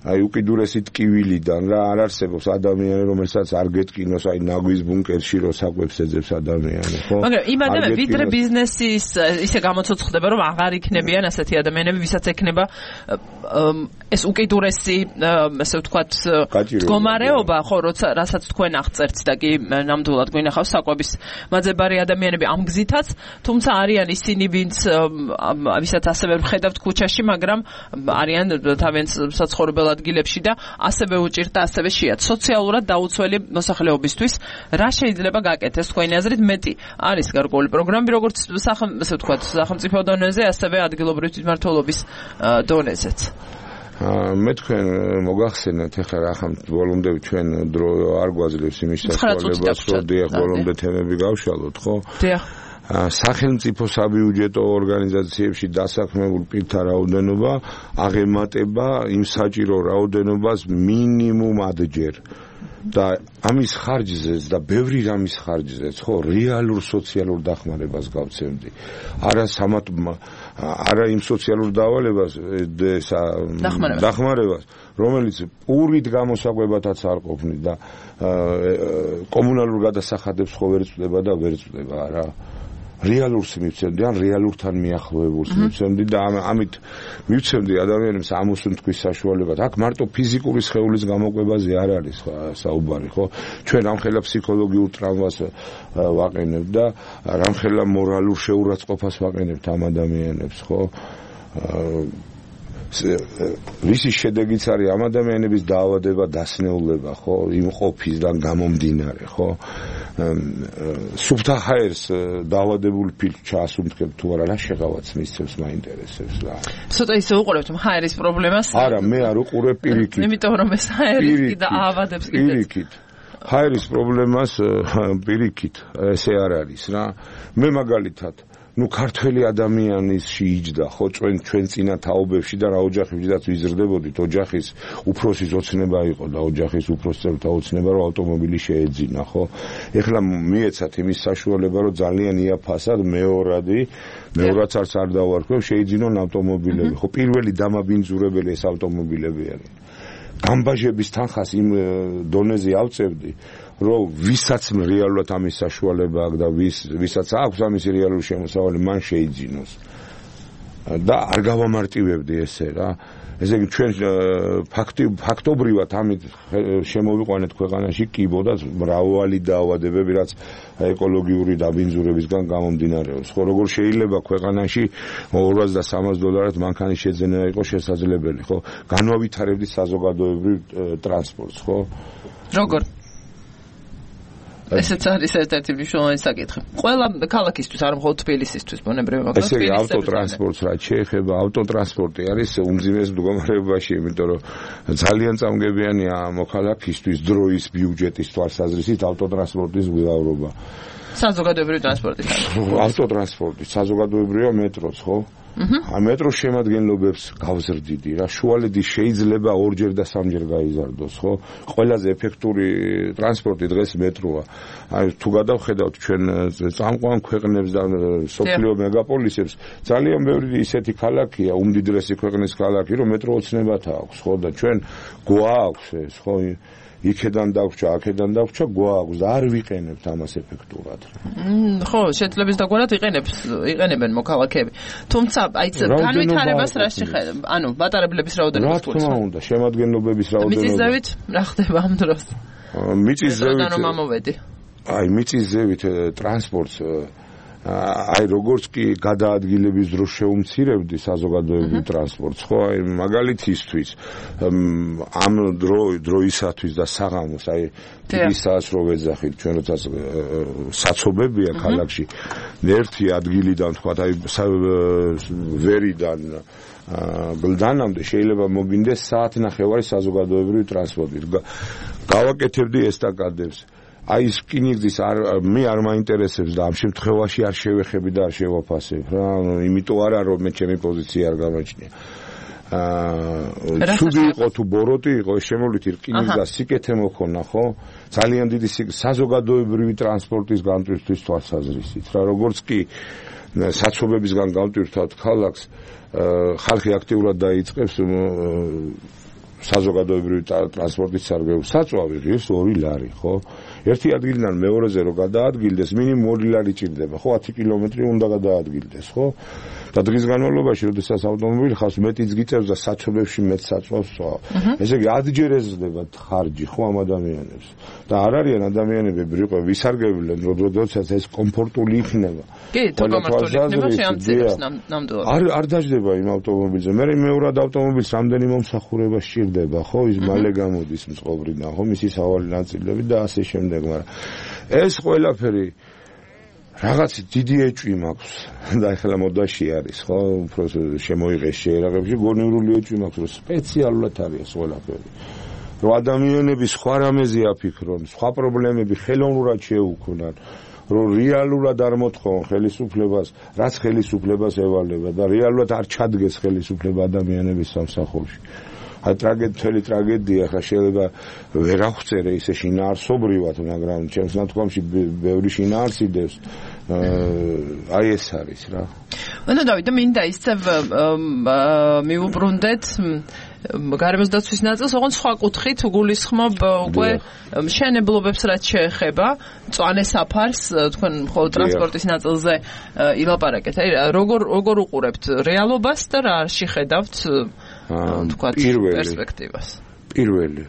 აი უკიდურესი ტკივილიდან რა, არ არსებობს ადამიანი რომელსაც არ გეტკინოს აი ნაგვის ბუნკერში რო საკვებს ეძებს ადამიანი, ხო? მაგრამ იმ ადამიანები ვიდრე ბიზნესის ისე გამოცოცხლდება რომ აღარ იქნებიან ასეთი ადამიანები, ვისაც ექნება ეს უკიდურესი ასე ვთქვათ მდგომარეობა, ხო, როცა რასაც თქვენ აღწერთ და კი ნამდვილად გვინახავს საკვების მაძებარი ადამიანები ამ გზითაც, თუმცა არიან ისინი ვინც ვისაც ასევე ვხედავთ ქუჩაში, მაგრამ არიან თავიანთ საცხოვრებელ ადგილებში და ასევე უჭირთ და ასევე შეათ სოციალურად დაუცველი მოსახლეობისთვის რა შეიძლება გაკეთდეს თქვენი აზრით მეტი არის გარკვეული პროგრამები როგორც ასე ვთქვათ სახელმწიფო დონეზე ასევე ადგილობრივი თვითმმართველობის დონეზეც მე თქვენ მოგახსენეთ ახლა რა ხომ ბოლომდე ჩვენ დრო არ გვაძლევს იმის საშუალებას რომ დიახ ბოლომდე თემები გავშალოთ ხო დიახ სახელმწიფო საბიუჯეტო ორგანიზაციებში დასაქმებულ პირთა რაოდენობა აღემატება იმ საჭირო რაოდენობას მინიმუმ ადჯერ და ამის ხარჯზეც და ბევრი რამის ხარჯზეც ხო რეალურ სოციალურ დახმარებას გავცემდი არა იმ სოციალურ დავალებას დახმარებას რომელიც პურით გამოსაკვებათაც არ ყოფნით და კომუნალურ გადასახადებს ხო ვერ წვდება და ვერ წვდება რა რეალურს მივცემდი ან რეალურთან მიახლოებულს მივცემდი და ამით მივცემდი ადამიანებს ამოსუნთქვის საშუალებად. აქ მარტო ფიზიკური სხეულის გამოკვებაზე არ არის საუბარი, ხო? ჩვენ ამხელა ფსიქოლოგიურ ტრამვას ვაყენებთ და რამხელა მორალურ შეურაცხყოფას ვაყენებთ ამ ადამიანებს, ხო? ისი შედეგიც არის ამ ადამიანების დაავადება, დასნეულება, ხო? იმ ყოფისგან გამომდინარე, ხო? სუფთა ჰაერს დაავადებულ ფილმს ჩაასუნთქებ თუ არა, რა შეღავაც მისცემს მაინტერესებს რა. ცოტა ისე უყურებთ ჰაერის პრობლემას? არა, მე არ უყურებ პირიქით. იმიტომ რომ ეს ჰაერი და აავადებს კიდეც. პირიქით. ჰაერის პრობლემას პირიქით, ესე არ არის რა. მე მაგალითად ქართველი ადამიანის შეიჯდა ხო ჩვენ წინა თაობებში და რა ოჯახებშიც ვიზრდებოდით ოჯახის უფროსის ოცნება იყო და ოჯახის უფროსებთა ოცნება რომ ავტომობილი შეეძინა ხო ეხლა მიეცათ იმის საშუალება რომ ძალიან იაფასად მეორადაც არ დავარქვევ შეიძინონ ავტომობილები ხო პირველი დამაბინძურებელი ეს ავტომობილები არის გამბაჟების თანხას იმ დონეზე ავწევდი რომ ვისაც რეალურად ამის საშუალება აქვს და ვისაც აქვს ამის რეალური შემოსავალი მან შეიძინოს და არ გავამარტივებდი ესე რა ესე იგი ჩვენ ფაქტობრივად ამით შემოვიყვანეთ ქვეყანაში კიბოდაც მრავალი დაავადებები რაც ეკოლოგიური დაბინძურებისგან გამომდინარეობს ხო როგორ შეიძლება ქვეყანაში $200-300 მანქანის შეძენა იყოს შესაძლებელი ხო განავითარებდი საზოგადოებრივ ტრანსპორტს ხო როგორ ესეც არის ერთ-ერთი მნიშვნელოვანი საკითხი. ყველა ქალაქისთვის, არ მხოლოდ თბილისისთვის, ბუნებრივია, მაგრამ ესე იგი ავტოტრანსპორტს რაც შეეხება, ავტოტრანსპორტი არის უმძიმეს მდგომარეობაში, იმიტომ რომ ძალიან წამგებიანია მოქალაქისთვის დროის ბიუჯეტის თვალსაზრისით ავტოტრანსპორტის მგზავრობა. საზოგადოებრივი ტრანსპორტის. ავტოტრანსპორტი, საზოგადოებრივია მეტროც, ხო? მეტროს შემადგენლობებს გავზრდიდი რა შუალედი შეიძლება 2-ჯერ და 3-ჯერ გაიზარდოს ხო ყველაზე ეფექტური ტრანსპორტი დღეს მეტროა აი თუ გადავხედავთ ჩვენ წამყვან ქვეყნებს და სოფლიო მეგაპოლისებს ძალიან ბევრი ისეთი ქალაქია უმდიდრესი ქვეყნის ქალაქი რომ მეტრო ოცნებათა აქვს ხო და ჩვენ გვაქვს ეს ხო იქედან დაგვჭა, აქედან დაგვჭა, გვაქვს და არ ვიყენებთ ამას ეფექტურად. ხო, შეძლებს დაგვარად იყენებენ მოქალაქეები. თუმცა, აი განვითარებას რა შეხედა? ანუ მატარებლების რაოდენობა რა თქმა უნდა, შემადგენლობების რაოდენობა. მიწის ზევით რა ხდება ამ დროს? მიწის ზევით. რომ ამოვედი. აი მიწის ზევით ტრანსპორტს აი როგორც კი გადაადგილების დროს შეუმცირებდი საზოგადოებრივ ტრანსპორტს ხო აი მაგალითისთვის ამ დროისათვის და საღამოს აი თბილისას რო ვეძახით ჩვენ როცა საცობებია ქალაქში ერთი ადგილიდან თქვა აი ვერიდან გლდანამდე შეიძლება მოგინდეს საათნახევარი საზოგადოებრივ ტრანსპორტით გავაკეთებდი ესტაკადებს აი სკინიგზის მე არ მაინტერესებს და ამ შემთხვევაში არ შევეხები და არ შევაფასებ რა იმიტომ არა რომ მე ჩემი პოზიცია არ გამაჩნია ცუდი იყო თუ ბოროტი იყო, შემოვლით რკინის და სიკეთე მოქონა, ხო? ძალიან დიდი საზოგადოებრივი ტრანსპორტის განტვირთვის თვალსაზრისით რა, როგორც კი საცობებისგან განტვირთვათ ქალაქს, ხალხი აქტიურად დაიწყებს საზოგადოებრივი ტრანსპორტის სარგებლობას. საწვავი ღირს 2 ლარი, ხო? ერთი ადგილიდან მეორეზე რო გადაადგილდეს, მინიმუმ 2 ლარი ჭირდება, ხო? 10 კილომეტრი უნდა გადაადგილდეს, ხო? და დღის განმავლობაში, როდესაც ავტომობილი ხავს მეტიც გიწევს და საცობებში მეტ საწვავს წვა. ესე იგი ადჯერ ეზრდება ხარჯი, ხო, ამ ადამიანებს. და არ არიან ადამიანები ვისარგებლენ, როდესაც ეს კომფორტული იქნება. კი, თუ კომფორტული იქნება, შეამცირებს ნამდვილად. არ დაждდება იმ ავტომობილზე. მე მეორად ავტომობილს რამდენი მომსახურება სჭირდება, ხო, ის მალე გამოდის მწყობრიდან, ხო, მისი სავალი ნაწილები და ასე შემდეგ, მაგრამ ეს ყველაფერი რაღაც დიდი ეჭვი მაქვს და ახლა მოდაში არის, ხო, უფრო შემოიღეს შეერაღებში, გონივრული ეჭვი მაქვს, რომ სპეციალურად არის ყველაფერი. რომ ადამიანები სხვა რამეზე აფიქრონ, სხვა პრობლემები ხელოვნურად შეუქმნან, რომ რეალურად არ მოთხოვონ ხელისუფლებას, რაც ხელისუფლებას ევალება და რეალურად არ ჩადგეს ხელისუფლება ადამიანების სამსახურში. აი ტრაგედია ხა შეიძლება ვერ აღწერე ისე შინაარსობრივად, მაგრამ ჩემს ნათქვამში ბევრი შინაარსიდებს. აი ეს არის რა. ანუ დავით, მინდა ისევ მივუბრუნდეთ გარემოს დაცვის ნაწილს, ოღონდ სხვა კუთხით გულისხმობ უკვე მშენებლობებს რაც შეეხება მწვანე საფარს, თქვენ მხოლოდ ტრანსპორტის ნაწილზე ილაპარაკეთ. აი როგორ უყურებთ რეალობას და რა შეხედავთ თქვათ პერსპექტივას? პირველი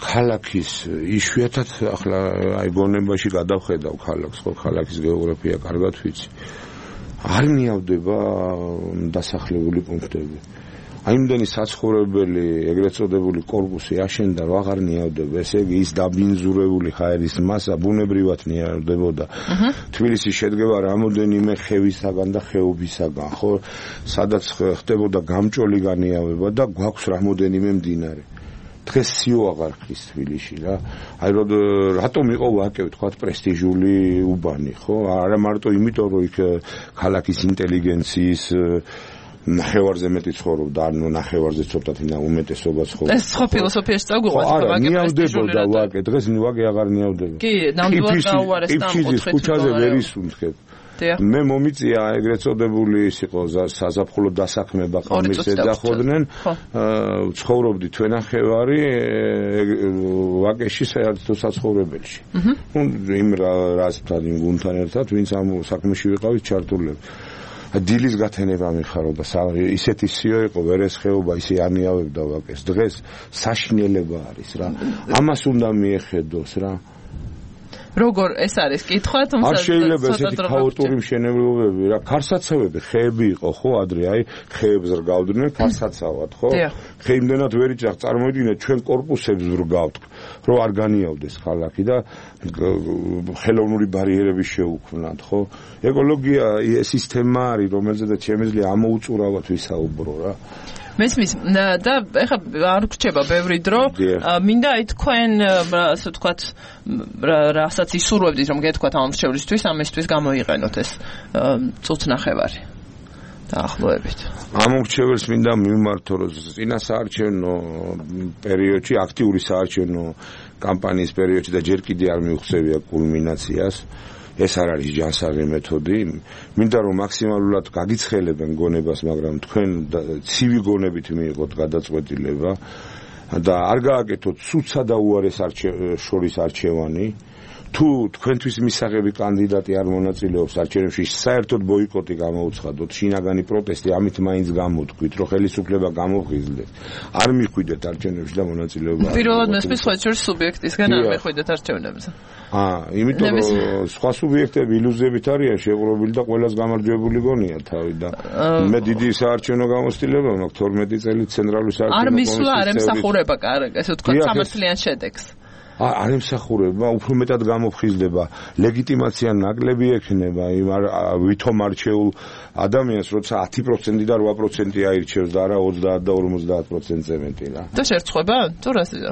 ქალაქის იშვიათად ახლა აი გონებაში გადავხედავ ქალაქს, ხო, ქალაქის გეოგრაფია კარგად ვიცი. არ მიავდება დასახლებული პუნქტები. აი იმდენი საცხოვრებელი ეგრეთ წოდებული კორპუსი აშენდა, რომ აღარ ნიავდება. ესე იგი ის დაბინძურებული ჰაერის მასა ბუნებრივად ნიავდებოდა. თბილისი შედგება რამოდენიმე ხევისაგან და ხეობისაგან, ხო? სადაც ხდებოდა გამჭოლი განიავება და გვაქვს რამოდენიმე მდინარე. დღეს სიო აღარ ხის თბილისში რა. აი რატომ იყო ვაკე ვთქვათ პრესტიჟული უბანი, ხო? არა მარტო იმიტომ, რომ იქ ქალაქის ინტელიგენციის ნახევარზე მეტი ცხოვრობდა, ანუ ნახევარზე ცოტათი უმეტესობა ცხოვრობდა. ეს ხო ფილოსოფიაში წაგვიყვანთ, ვაკე პრესტიჟული ვაკე, დღეს ვაკე აღარ ნიავდება. კი, ნამდვილად გაუარეს და ამოთხეთ. ქუჩაზე ვერ ისუნთქებ. მე მომიწია ეგრეთ წოდებული ის იყო საზაფხულო დასაქმება ყამის ეძახოდნენ, ცხოვრობდი თვენახევარი ვაკეში საერთო საცხოვრებელში. იმ რასთან იმ გუნდთან ერთად, ვინც ამ საქმეში ვიყავით ჩართულები. დილის გათენება მიხარო და ისეთი სიო იყო, ვერეს ხეობა ისე ანიავებდა ვაკეს. დღეს საშინელება არის რა. ამას უნდა მიეხედოს რა. როგორ ეს არის კითხვა, თუმცა არ შეიძლება ესეთი ქაოტური მშენებლობები რა, ქარსაცავები, ხეები იყო ხო ადრე, აი ხეებს რგავდნენ ქარსაცავად, ხო? ხე იმდენად ვერ იჭრახ, წარმოიდგინეთ ჩვენ კორპუსებს ვრგავთ, რომ არ განიავდეს ქალაქი და ხელოვნური ბარიერები შეუქმნათ, ხო? ეკოლოგია სისტემა არის, რომელზედაც შემიძლია ამოუწურავად ვისაუბრო რა. მესმის და ეხლა არ გრჩება ბევრი დრო, მინდა აი თქვენ ასე ვთქვათ რასაც ისურვებდით რომ გეთქვათ ამ მრჩევლისთვის, ამისთვის გამოიყენოთ ეს წუთნახევარი დაახლოებით. ამ მრჩეველს მინდა მიმართო, რომ წინასაარჩევნო პერიოდში, აქტიური საარჩევნო კამპანიის პერიოდში და ჯერ კიდე არ მიუღწევია კულმინაციას. ეს არ არის ჯანსაღი მეთოდი. მინდა რომ მაქსიმალურად გაგიცხელებენ გონებას, მაგრამ თქვენ ცივი გონებით მიიღოთ გადაწყვეტილება და არ გააკეთოთ სუცსა და უარეს შორის არჩევანი. თუ თქვენთვის მისაღები კანდიდატი არ მონაწილეობს არჩევნებში, საერთოდ ბოიკოტი გამოუცხადოთ, შინაგანი პროტესტი, ამით მაინც გამოთქვით, რომ ხელისუფლება გამოვღიზლდეს. არ მიხვიდეთ არჩევნებში და მონაწილეობა. პირველად მესმის სხვა შორის სუბიექტისგან არ მიხვიდეთ არჩევნებზე. იმიტომ რომ სხვა სუბიექტები ილუზიებით არიან შეღრუბილი და ყველას გამარჯვებული გონია თავი და მე დიდი საარჩევნო გამოცდილება მაქვს 12 წელი ცენტრალური საარჩევნო კომისიის. არ მისვლა, არ ემსახურება ესე ვთქვათ სამართლიან შედეგს. არ ემსახურება, უფრო მეტად გამოფხიზლდება, ლეგიტიმაცია ნაკლები ექნება იმ ვითომ არჩეულ ადამიანს, როცა 10% და 8% აირჩევს და არა 30 და 50%-ზე მეტი რა. და შერწყება? თუ რასია?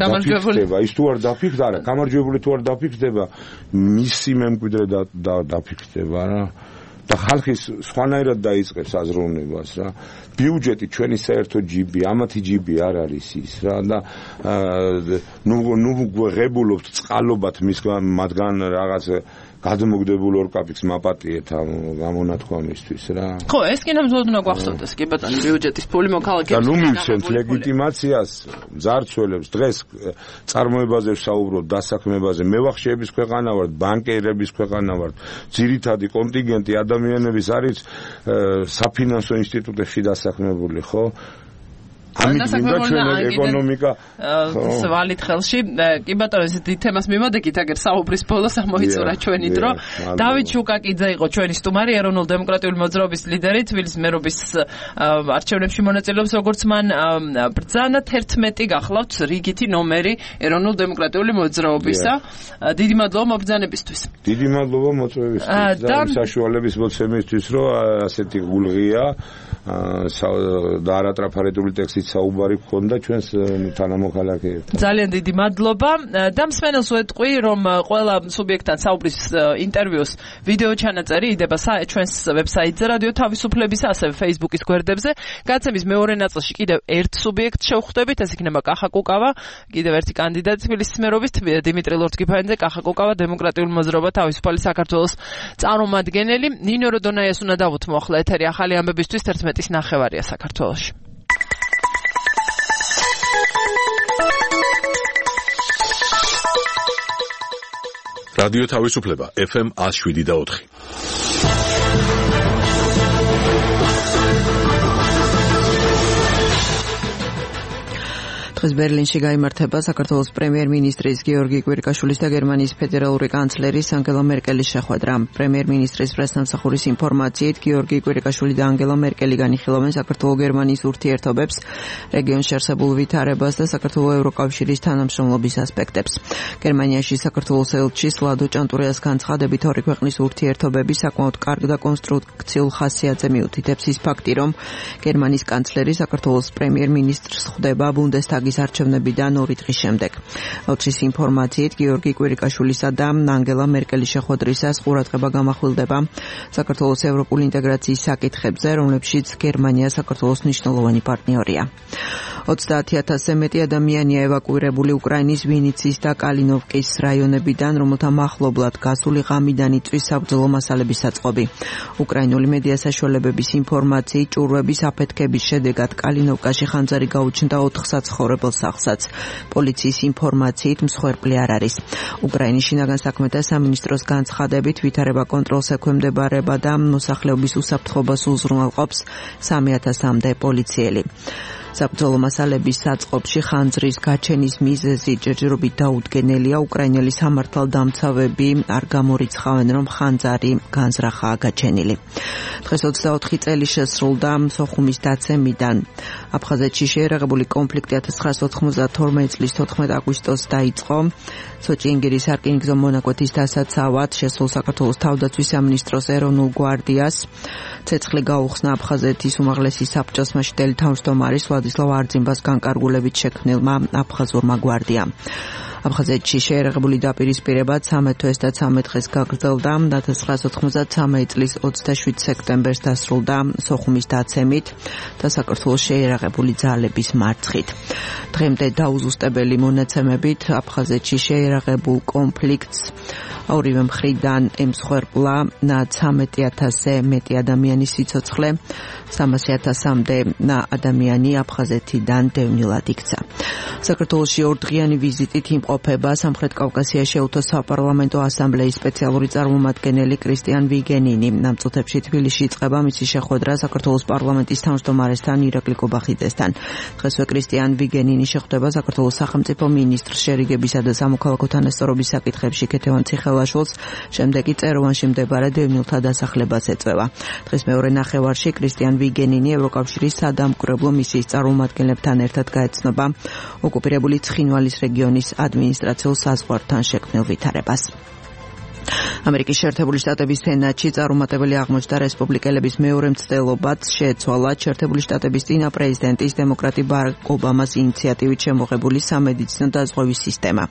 გამარჯვებული ის თუ არ დაფიქრდა, არა, გამარჯვებული თუ არ დაფიქრდება, მისი მემკვიდრე და დაფიქრდება რა. და ხალხი სხვანაირად დაიწყებს აზროვნებას რა. ბიუჯეტი ჩვენი საერთო ჯიბი, ამათი ჯიბი არ არის ის რა და ნუ ღებულობთ წყალობათ მათგან რაღაც გადმოგდებულ ორკაპიქს მაპატიეთ ამ გამონათქვამისთვის რა. ხო, ეს კი ნამდვილად უნდა გვახსოვდეს, კი ბატონო, ბიუჯეტის ფული მოქალაქეებს. და ნუ მივცემთ ლეგიტიმაციას მძარცველებს, დღეს წარმოებაზე ვსაუბრობ, დასაქმებაზე, მევახშეების ქვეყანა ვართ, ბანკერების ქვეყანა ვართ, ძირითადი კონტინგენტი ადამიანების არის საფინანსო ინსტიტუტებში დასაქმებული, ხო? ამიტომ უნდა ჩვენი ეკონომიკა ვალით ხელში. კი ბატონო, ეს დიდ თემას მიმოდეკით, აგერ საუბრის ბოლოს ამოიწურა ჩვენი დრო. დავით შუკაკიძე იყო ჩვენი სტუმარი, ეროვნულ დემოკრატიული მოძრაობის ლიდერი, თბილისის მერობის არჩევნებში მონაწილეობს, როგორც მან ბრძანა 11 გახლავთ რიგითი ნომერი ეროვნულ დემოკრატიული მოძრაობისა. დიდი მადლობა მობრძანებისთვის. დიდი მადლობა მოწვევისთვის და საშუალების მოცემისთვის, რომ ასეთი გულღია და არატრაფარეტული ტექსტით საუბარი გქონდა ჩვენს თანამოქალაქეებთან. ძალიან დიდი მადლობა და მსმენელს ვეტყვი, რომ ყველა სუბიექტთან საუბრის ინტერვიუს ვიდეო ჩანაწერი იდება ჩვენს ვებსაიტზე რადიო თავისუფლების, ასევე Facebook-ის გვერდებზე. გადაცემის მეორე ნაწილში კიდევ ერთ სუბიექტს შევხვდებით, ეს იქნება კახა კუკავა, კიდევ ერთი კანდიდატი თბილისის მერობის დიმიტრი ლორწკიფანიძე, კახა კუკავა, დემოკრატიული მოძრაობა თავისუფალი საქართველოს წარმომადგენელი. ნინო როდონაიას უნდა დავუთმო ახლა ეთერი ახალი ამბებისთვის 11-ის ნახევარია საქართველოში. რადიო თავისუფლება FM 107.4. დღეს ბერლინში გაიმართება საქართველოს პრემიერ-მინისტრის გიორგი კვირიკაშვილის და გერმანიის ფედერალური კანცლერის ანგელა მერკელის შეხვედრა. პრემიერ-მინისტრის პრესტამსახურის ინფორმაციით, გიორგი კვირიკაშვილი და ანგელა მერკელი განიხილავენ საქართველო-გერმანიის ურთიერთობებს, რეგიონში არსებულ ვითარებას და საქართველოს ევროკავშირის თანამშრომლობის ასპექტებს. გერმანიაში საქართველოს ელჩის ლადო ჭანტურიას განცხადებით, ორი ქვეყნის ურთიერთობები საკმაოდ კარგ და კონსტრუქციულ ხასიათზე მიუთითებს ის ფაქტი, რომ გერმანიის კანცლერი საქართველოს პრემიერ-მინისტრს ხვდება ბუნდესტაგის არჩევნებიდან 2 დღის შემდეგ. ელჩის ინფორმაციით, გიორგი კვირიკაშვილისა და ანგელა მერკელის შეხვედრისას ყურადღება გამახვილდება საქართველოს ევროპული ინტეგრაციის საკითხებზე, რომლებშიც გერმანია საქართველოს მნიშვნელოვანი პარტნიორია. 30,000-ზე მეტი ადამიანია ევაკუირებული უკრაინის ვინიცის და კალინოვკის რაიონებიდან, რომელთა მახლობლად გასული ღამიდან იწვის საბრძოლო მასალების საწყობი. უკრაინული მედია საშუალებების ინფორმაციით, ჭურვების აფეთქების შედეგად კალინოვკაში ხანძარი გაუჩნდა 4 საცხოვრებელ სახლსაც. პოლიციის ინფორმაციით, მსხვერპლი არ არის. უკრაინის შინაგან საქმეთა სამინისტროს განცხადებით, ვითარება კონტროლს ექვემდებარება და მოსახლეობის უსაფრთხოებას უზრუნველყოფს 3,000-მდე პოლიციელი. საბრძოლო მასალების საწყობში ხანძრის გაჩენის მიზეზი ჯერჯერობით დაუდგენელია. უკრაინელი სამართალდამცავები არ გამორიცხავენ, რომ ხანძარი განზრახაა გაჩენილი. დღეს 24 წელი შესრულდა სოხუმის დაცემიდან. აფხაზეთში შეერაღებული კონფლიქტი 1992 წლის 14 აგვისტოს დაიწყო. სოჭინგირის სარკინიგზო მონაკვეთის დასაცავად შესულ საქართველოს თავდაცვის სამინისტროს ეროვნულ გვარდიას ცეცხლი გაუხსნა აფხაზეთის უმაღლესი საბჭოს მაშინდელი თავმჯდომარის ვლადისლავ არძიმბას განკარგულებით შექმნილმა აფხაზურმა გვარდიამ. აფხაზეთში შეერაღებული დაპირისპირება 13 თვეს და 13 დღეს გაგრძელდა. 1993 წლის 27 სექტემბერს დასრულდა სოხუმის დაცემით და საქართველოს შეერაღებული ძალების მარცხით. დღემდე დაუზუსტებელი მონაცემებით აფხაზეთში შეერაღებულ კონფლიქტს ორივე მხრიდან ემსხვერპლა 13,000-ზე მეტი ადამიანის სიცოცხლე, 300,000-მდე ადამიანი აფხაზეთიდან დევნილად იქცა. საქართველოში 2 დღიანი ვიზიტით იმყოფება სამხრეთ კავკასიაში ეუთო საპარლამენტო ასამბლეის სპეციალური წარმომადგენელი კრისტიან ვიგენინი. ამ წუთებში თბილისში იწყება მისი შეხვედრა საქართველოს პარლამენტის თავმჯდომარესთან ირაკლი კობახიძესთან. დღესვე კრისტიან ვიგენინი შეხვდება საქართველოს სახელმწიფო მინისტრს შერიგებისა და სამოქალაქო თანასწორობის საკითხებში ქეთევან ციხელაშვილს, შემდეგ კი წეროვანში მდებარე დევნილთა დასახლებაც ეწევა. დღეს მეორე ნახევარში კრისტიან ვიგენინი ევროკავშირის სადამკვირვებლო მისიის წარმომადგენლებთან ერთად გაეცნობა ოკუპირებული ცხინვალის რეგიონის ადმინისტრაციულ საზღვართან შექმნილ ვითარებას. ამერიკის შეერთებული შტატების სენატში წარუმატებელი აღმოჩნდა რესპუბლიკელების მეორე მცდელობაც შეეცვალა შეერთებული შტატების წინა პრეზიდენტის დემოკრატი ბარაკ ობამას ინიციატივით შემოღებული სამედიცინო დაზღვევის სისტემა.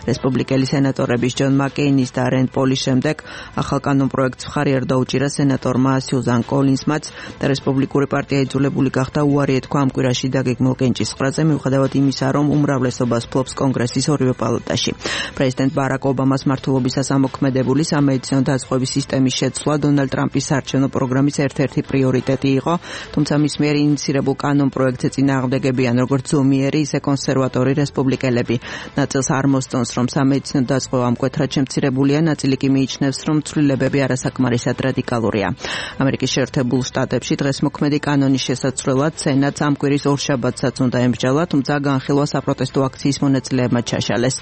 რესპუბლიკელი სენატორების ჯონ მაკეინის და რენდ პოლის შემდეგ ახალ კანონპროექტს მხარი არ დაუჭირა სენატორმა სიუზან კოლინზმაც და რესპუბლიკური პარტია იძულებული გახდა უარი ეთქვა ამ კვირაში დაგეგმილ კენჭისყრაზე მიუხედავად იმისა, რომ უმრავლესობას ფლობს კონგრესის ორივე პალატაში. პრეზიდენტ ბარაკ ობამას მმართველობისას ამოქმედებული სამედიცინო დაზღვევის სისტემის შეცვლა დონალდ ტრამპის საარჩევნო პროგრამის ერთ-ერთი პრიორიტეტი იყო, თუმცა მის მიერ ინიციირებულ კანონპროექტზე წინააღმდეგებიან როგორც ზომიერი, ისე კონსერვატორი რესპუბლიკელები. ნაწილს არ მოსწონს, რომ სამედიცინო დაზღვევა მკვეთრად შემცირებულია, ნაწილი კი მიიჩნევს, რომ ცვლილებები არასაკმარისად რადიკალურია. ამერიკის შეერთებულ შტატებში დღეს მოქმედი კანონის შესაცვლელად სენატს ამ კვირის ორშაბათსაც უნდა ემსჯელა, თუმცა განხილვა საპროტესტო აქციის მონაწილეებმა ჩაშალეს.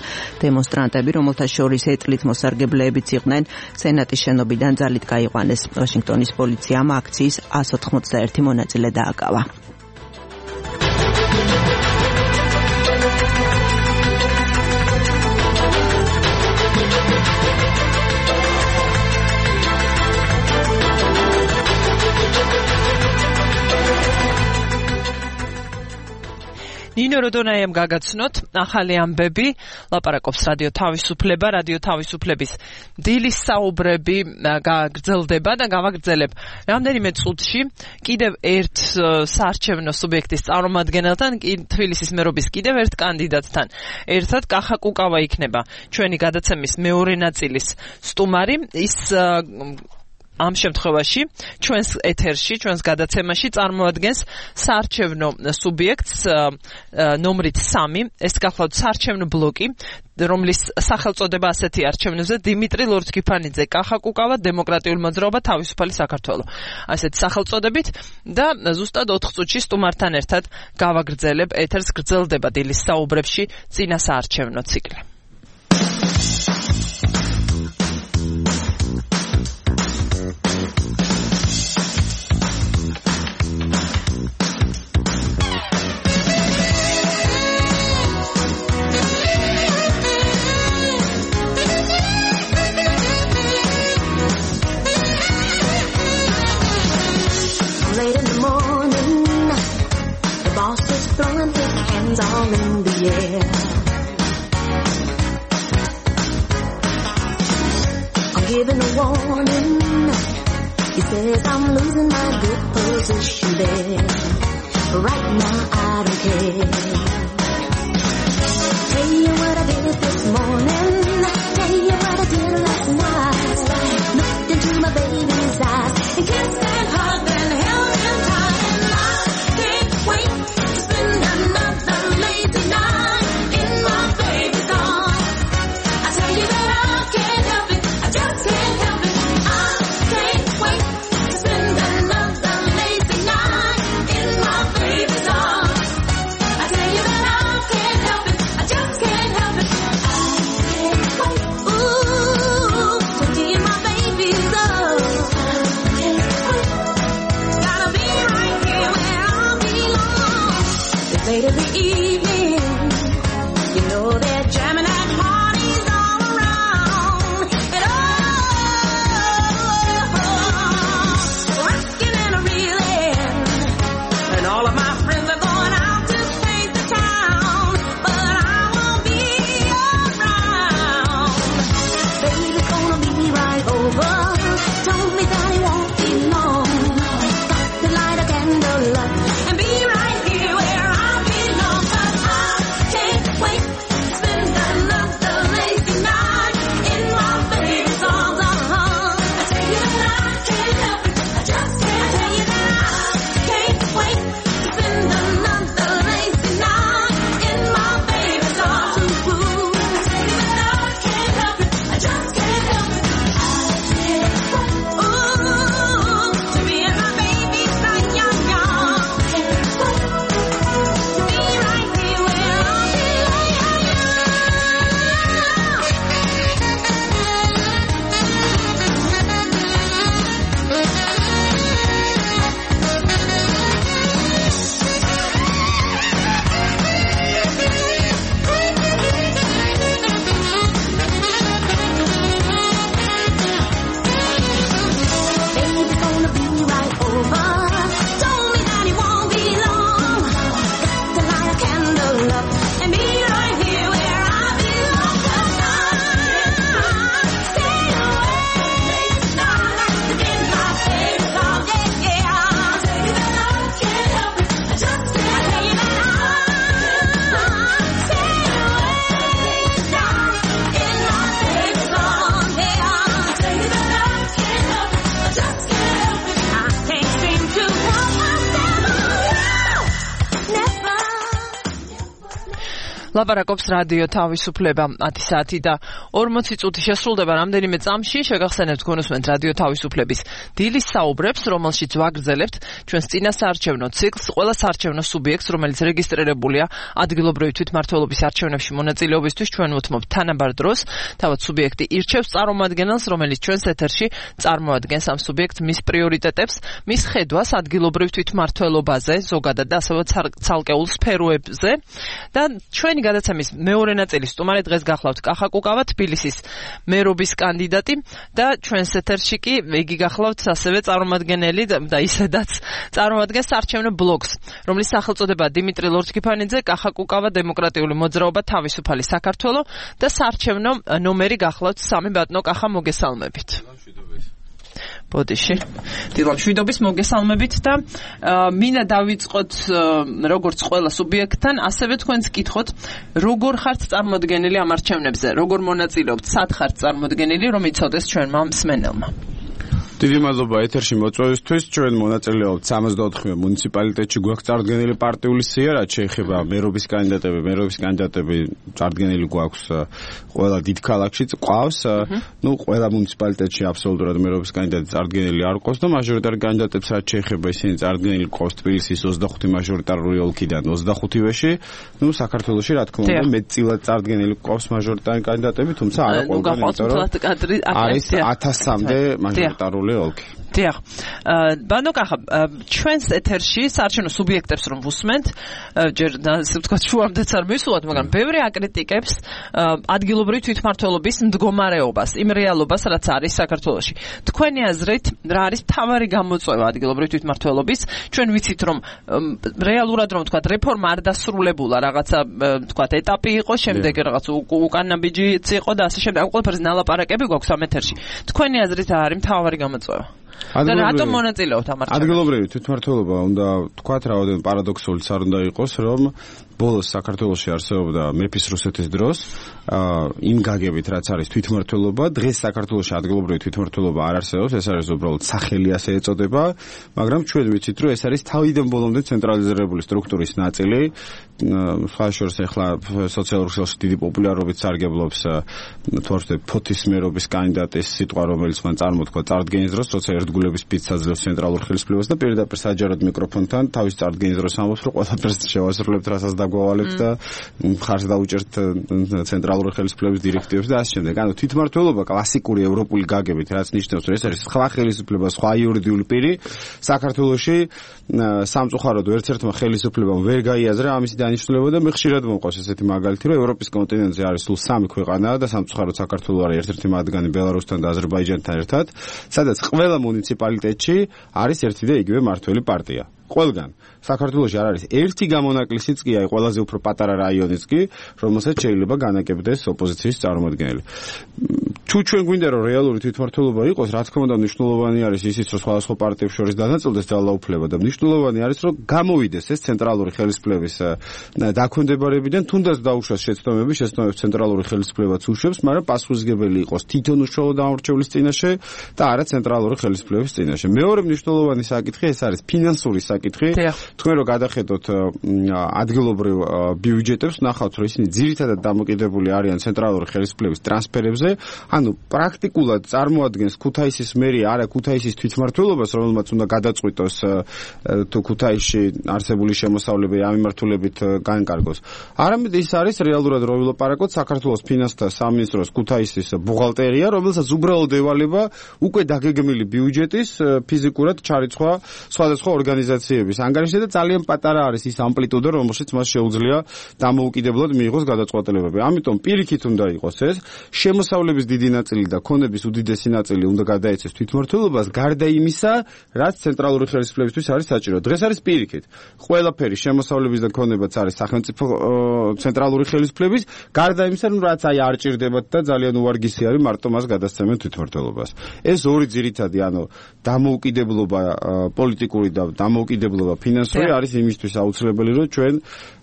დემონსტრანტები, რომელთა შორის ეტლით მოსარგებლეებიც იყვნენ, სენატის შენობიდან ძალით გაიყვანეს. ვაშინგტონის პოლიციამ აქციის 191 მონაწილე დააკავა. ნინო როდონაიამ გაგაცნოთ ახალი ამბები, ლაპარაკობს რადიო თავისუფლება, რადიო თავისუფლების დილის საუბრები გაგრძელდება და გავაგრძელებ რამდენიმე წუთში კიდევ ერთ საარჩევნო სუბიექტის წარმომადგენელთან, თბილისის მერობის კიდევ ერთ კანდიდატთან ერთად კახა კუკავა იქნება ჩვენი გადაცემის მეორე ნაწილის სტუმარი. ის ამ შემთხვევაში ჩვენს ეთერში, ჩვენს გადაცემაში წარმოადგენს საარჩევნო სუბიექტს ნომრით 3. ეს გახლავთ საარჩევნო ბლოკი, რომლის სახელწოდება ასეთი არჩევნებზე დიმიტრი ლორთქიფანიძე, კახა კუკავა, დემოკრატიული მოძრაობა, თავისუფალი საქართველო. ასეთი სახელწოდებით და ზუსტად 4 წუთში სტუმართან ერთად გავაგრძელებ ეთერს. გრძელდება დილის საუბრებში წინა საარჩევნო ციკლი. All in the air. I'm giving a warning. He says I'm losing my good position there. But right now I don't care. Tell you what I did this morning. Tell you what I did last night. Looked into my baby's eyes and kissed and hugged and held him tight. And I can't wait to spend another lazy night in my baby's arms. I tell you that I can't help it, I just can't help it. I can't wait to spend another lazy night in my baby's arms. I tell you that I can't help it, I just can't help it. I can't wait, ooh, to be in my baby's arms. I can't wait, gotta be right here where I belong. It's late in the evening, you know they're jamming at parties all around. And rocking and reeling. And all of my friends are going out to paint the town. But I won't be around. Baby's gonna be right over. Told me that he won't be long. Got to light a candle up and be right here where I belong. 'Cause I can't wait to spend another lazy night in my baby's arms. I tell you that I can't help it, I just can't. Tell you that I can't wait to spend another lazy night in my baby's arms. Tell you that I can't help it, I just can't help it. I ლაპარაკობს რადიო თავისუფლება 10 საათი და 40 წუთი შესრულდება რამდენიმე წამში. შეგახსენებთ გონუსმენთ რადიო თავისუფლების დილის საუბრებს, რომელშიც ვაგრძელებთ ჩვენს წინასაარჩევნო ციკლს. ყველა საარჩევნო სუბიექტს, რომელიც რეგისტრირებულია ადგილობრივი თვითმმართველობის არჩევნებში მონაწილეობისთვის, ჩვენ ვუთმობთ თანაბარ დროს. თავად სუბიექტი ირჩევს წარმომადგენელს, რომელიც ჩვენს ეთერში წარმოადგენს ამ სუბიექტს, მის პრიორიტეტებს, მის ხედვას ადგილობრივ თვითმმართველობაზე, ზოგადად და ასევე ცალკეულ სფეროებზე. და ჩვენი გადაცემის მეორე ნაწილის სტუმარი დღეს გახლავთ კახა კუკავა, თბილისის მერობის კანდიდატი და ჩვენს ეთერში კი იგი გახლავთ ასევე წარმომადგენელი და ისედაც წარმოადგენს საარჩევნო ბლოკს, რომლის სახელწოდებაა დიმიტრი ლორთქიფანიძე, კახა კუკავა, დემოკრატიული მოძრაობა, თავისუფალი საქართველო და საარჩევნო ნომერი გახლავთ 3. ბატონო კახა, მოგესალმებით. ბოდიში. დილამშვიდობის მოგესალმებით და მინდა დავიწყოთ როგორც ყველა სუბიექტთან, ასევე თქვენს კითხოთ, როგორ ხართ წარმოდგენილი ამ არჩევნებზე, როგორ მონაწილეობთ, სად ხართ წარმოდგენილი, რომ იცოდეს ჩვენმა მსმენელმა. დიდი მადლობა ეთერში მოწვევისთვის. ჩვენ მონაწილეობთ 64 მუნიციპალიტეტში, გვაქვს წარდგენილი პარტიული სია, რაც შეეხება მერობის კანდიდატები წარდგენილი გვაქვს ყველა დიდ ქალაქში, ყავს. ყველა მუნიციპალიტეტში აბსოლუტურად მერობის კანდიდატი წარდგენილი არ ყავს და მაჟორიტარი კანდიდატებს რაც შეეხება, ისინი წარდგენილი ყავს თბილისის 25 მაჟორიტარული ოლქიდან 25-ვეში. საქართველოში რა თქმა უნდა მეტწილად წარდგენილი ყავს მაჟორიტარი კანდიდატები, თუმცა არა ყველგან, იმიტომ რომ არის 1000-მდე მაჟორიტარული ოლქი. დიახ. ბანო კახა, ჩვენს ეთერში საარჩევნო სუბიექტებს რომ ვუსმენთ, ჯერ ასე ვთქვათ, შუამდეც არ მისულოთ, მაგრამ ბევრი აკრიტიკებს ადგილობრივი თვითმმართველობის მდგომარეობას, იმ რეალობას, რაც არის საქართველოში. თქვენი აზრით, რა არის მთავარი გამოწვევა ადგილობრივი თვითმმართველობის? ჩვენ ვიცით, რომ რეალურად რომ ვთქვათ, რეფორმა არ დასრულებულა, რაღაცა ვთქვათ, ეტაპი იყო, შემდეგ რაღაც უკანაბიჯიც იყო და ასე შემდეგ. ამ ყველაფერს ნალაპარაკები გვაქვს ამ ეთერში. თქვენი აზრით რა არის მთავარი გამოწვევა? და რატომ მონაწილეობთ ამ არჩევნებში? ადგილობრივი თვითმმართველობა უნდა თქვათ, რაოდენიმე პარადოქსულიც არ უნდა იყოს, რომ ბოლოს საქართველოში არსებობდა მეფის რუსეთის დროს იმ გაგებით, რაც არის თვითმმართველობა, დღეს საქართველოში ადგილობრივი თვითმმართველობა არ არსებობს, ეს არის უბრალოდ სახელი ასე ეწოდება, მაგრამ ჩვენ ვიცით, რომ ეს არის თავიდან ბოლომდე ცენტრალიზირებული სტრუქტურის ნაწილი. ხაშორს ახლა სოციალურ ქსელში დიდი პოპულარობით სარგებლობს ფოთის მერობის კანდიდატის სიტყვა, რომელიც მან წარმოთქვა წარდგენის დროს, როცა ერთგულების სპიცს აძლევს ცენტრალურ ხელისუფლებას და პირდაპირ საჯაროდ მიკროფონთან თავის წარდგენის დროს ამბობს, რომ ყველაფერს შევასრულებთ, რასაც დაგვავალებთ და მხარს დაუჭერთ ცენტრალური ხელისუფლების დირექტივებს და ასე შემდეგ. ანუ თვითმმართველობა კლასიკური ევროპული გაგებით, რაც ნიშნავს, რომ ეს არის სხვა ხელისუფლება, სხვა იურიდიული პირი. საქართველოში სამწუხაროდ ერთ-ერთმა ხელისუფლებამ ვერ გაიაზრა ამის დანიშნულება და მე ხშირად მომყავს ესეთი მაგალითი, რომ ევროპის კონტინენტზე არის სულ 3 ქვეყანა და სამწუხაროდ საქართველო არის ერთ-ერთი მათგანი ბელარუსთან და აზერბაიჯანთან ერთად, სადაც ყველა მუნიციპალიტეტში არის ერთი და იგივე მართველი პარტია. ყველგან საქართველოში არ არის ერთი გამონაკლისიც კი, აი ყველაზე უფრო პატარა რაიონიც კი, რომელსაც შეიძლება განაკებდეს ოპოზიციის წარმომადგენელი. თუ ჩვენ გვინდა რომ რეალური თვითმმართველობა იყოს, რა თქმა უნდა მნიშვნელოვანი არის ისიც, რომ სხვადასხვა პარტიებს შორის დანაწილდეს ძალაუფლება და მნიშვნელოვანი არის, რომ გამოვიდეს ეს ცენტრალური ხელისუფლების დაქვემდებარებიდან, თუნდაც დაუშვას შეცდომები ცენტრალური ხელისუფლებაც უშვებს, მაგრამ პასუხისმგებელი იყოს თვითონ უშუალო დამორჩეულის წინაშე და არა ცენტრალური ხელისუფლების წინაშე. მეორე მნიშვნელოვანი საკითხი ეს არის ფინანსური საკითხი. თქვენ რო გადახედოთ ადგილობრივ ბიუჯეტებს, ნახავთ, რომ ისინი ძირითადად დამოკიდებული არიან ცენტრალური ხელისუფლების ტრანსფერებზე. ანუ პრაქტიკულად წარმოადგენს ქუთაისის მერია, არა ქუთაისის თვითმმართველობას, რომელმაც უნდა გადაწყვიტოს თუ ქუთაისში არსებული შემოსავლები ამ მიმართულებით განკარგოს. არამედ ის არის რეალურად რო ვილაპარაკოთ საქართველოს ფინანსთა სამინისტროს ქუთაისის ბუღალტერია, რომელსაც უბრალოდ ევალება უკვე დაგეგმილი ბიუჯეტის ფიზიკურად ჩარიცხვა სხვადასხვა ორგანიზაციების ანგარიშზე და ძალიან პატარა არის ის ამპლიტუდა, რომელშიც მას შეუძლია დამოუკიდებლად მიიღოს გადაწყვეტილებები. ამიტომ პირიქით უნდა იყოს ეს შემოსავლების დიდი ნაწილი და ქონების უდიდესი ნაწილი უნდა გადაეცეს თვითმმართველობას, გარდა იმისა, რაც ცენტრალური ხელისუფლებისთვის არის საჭირო. დღეს არის პირიქით. ყველაფერი შემოსავლების და ქონებაც არის სახელმწიფო ცენტრალური ხელისუფლების, გარდა იმისა, რაც აი არ ჭირდებათ და ძალიან უვარგისი არის მარტო მას გადასცემენ თვითმმართველობას. ეს ორი ძირითადი, ანუ დამოუკიდებლობა პოლიტიკური და დამოუკიდებლობა ფინანსური არის იმისთვის აუცილებელი, რომ ჩვენ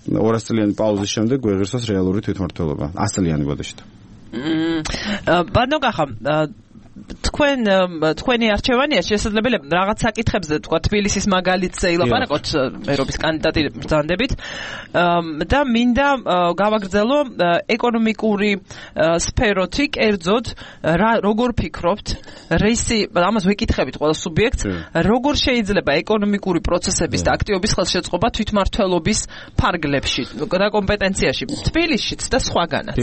200 წლიანი პაუზის შემდეგ გვეღირსოს რეალური თვითმმართველობა 100 წლიანი ბოდიშით. ბანო კახა, თქვენი არჩევანია შესაძლებელი რაღაც საკითხებზე თქვა თბილისის მაგალითზე ილაპარაკოთ მერობის კანდიდატი ბრძანდებით და მინდა გავაგრძელო ეკონომიკური სფეროთი კერძოდ როგორ ფიქრობთ რეისი ამას ვიკითხებით ყველა სუბიექტს როგორ შეიძლება ეკონომიკური პროცესების და აქტივობის ხელშეწყობა თვითმმართველობის ფარგლებში და კომპეტენციაში თბილისშიც და სხვაგანაც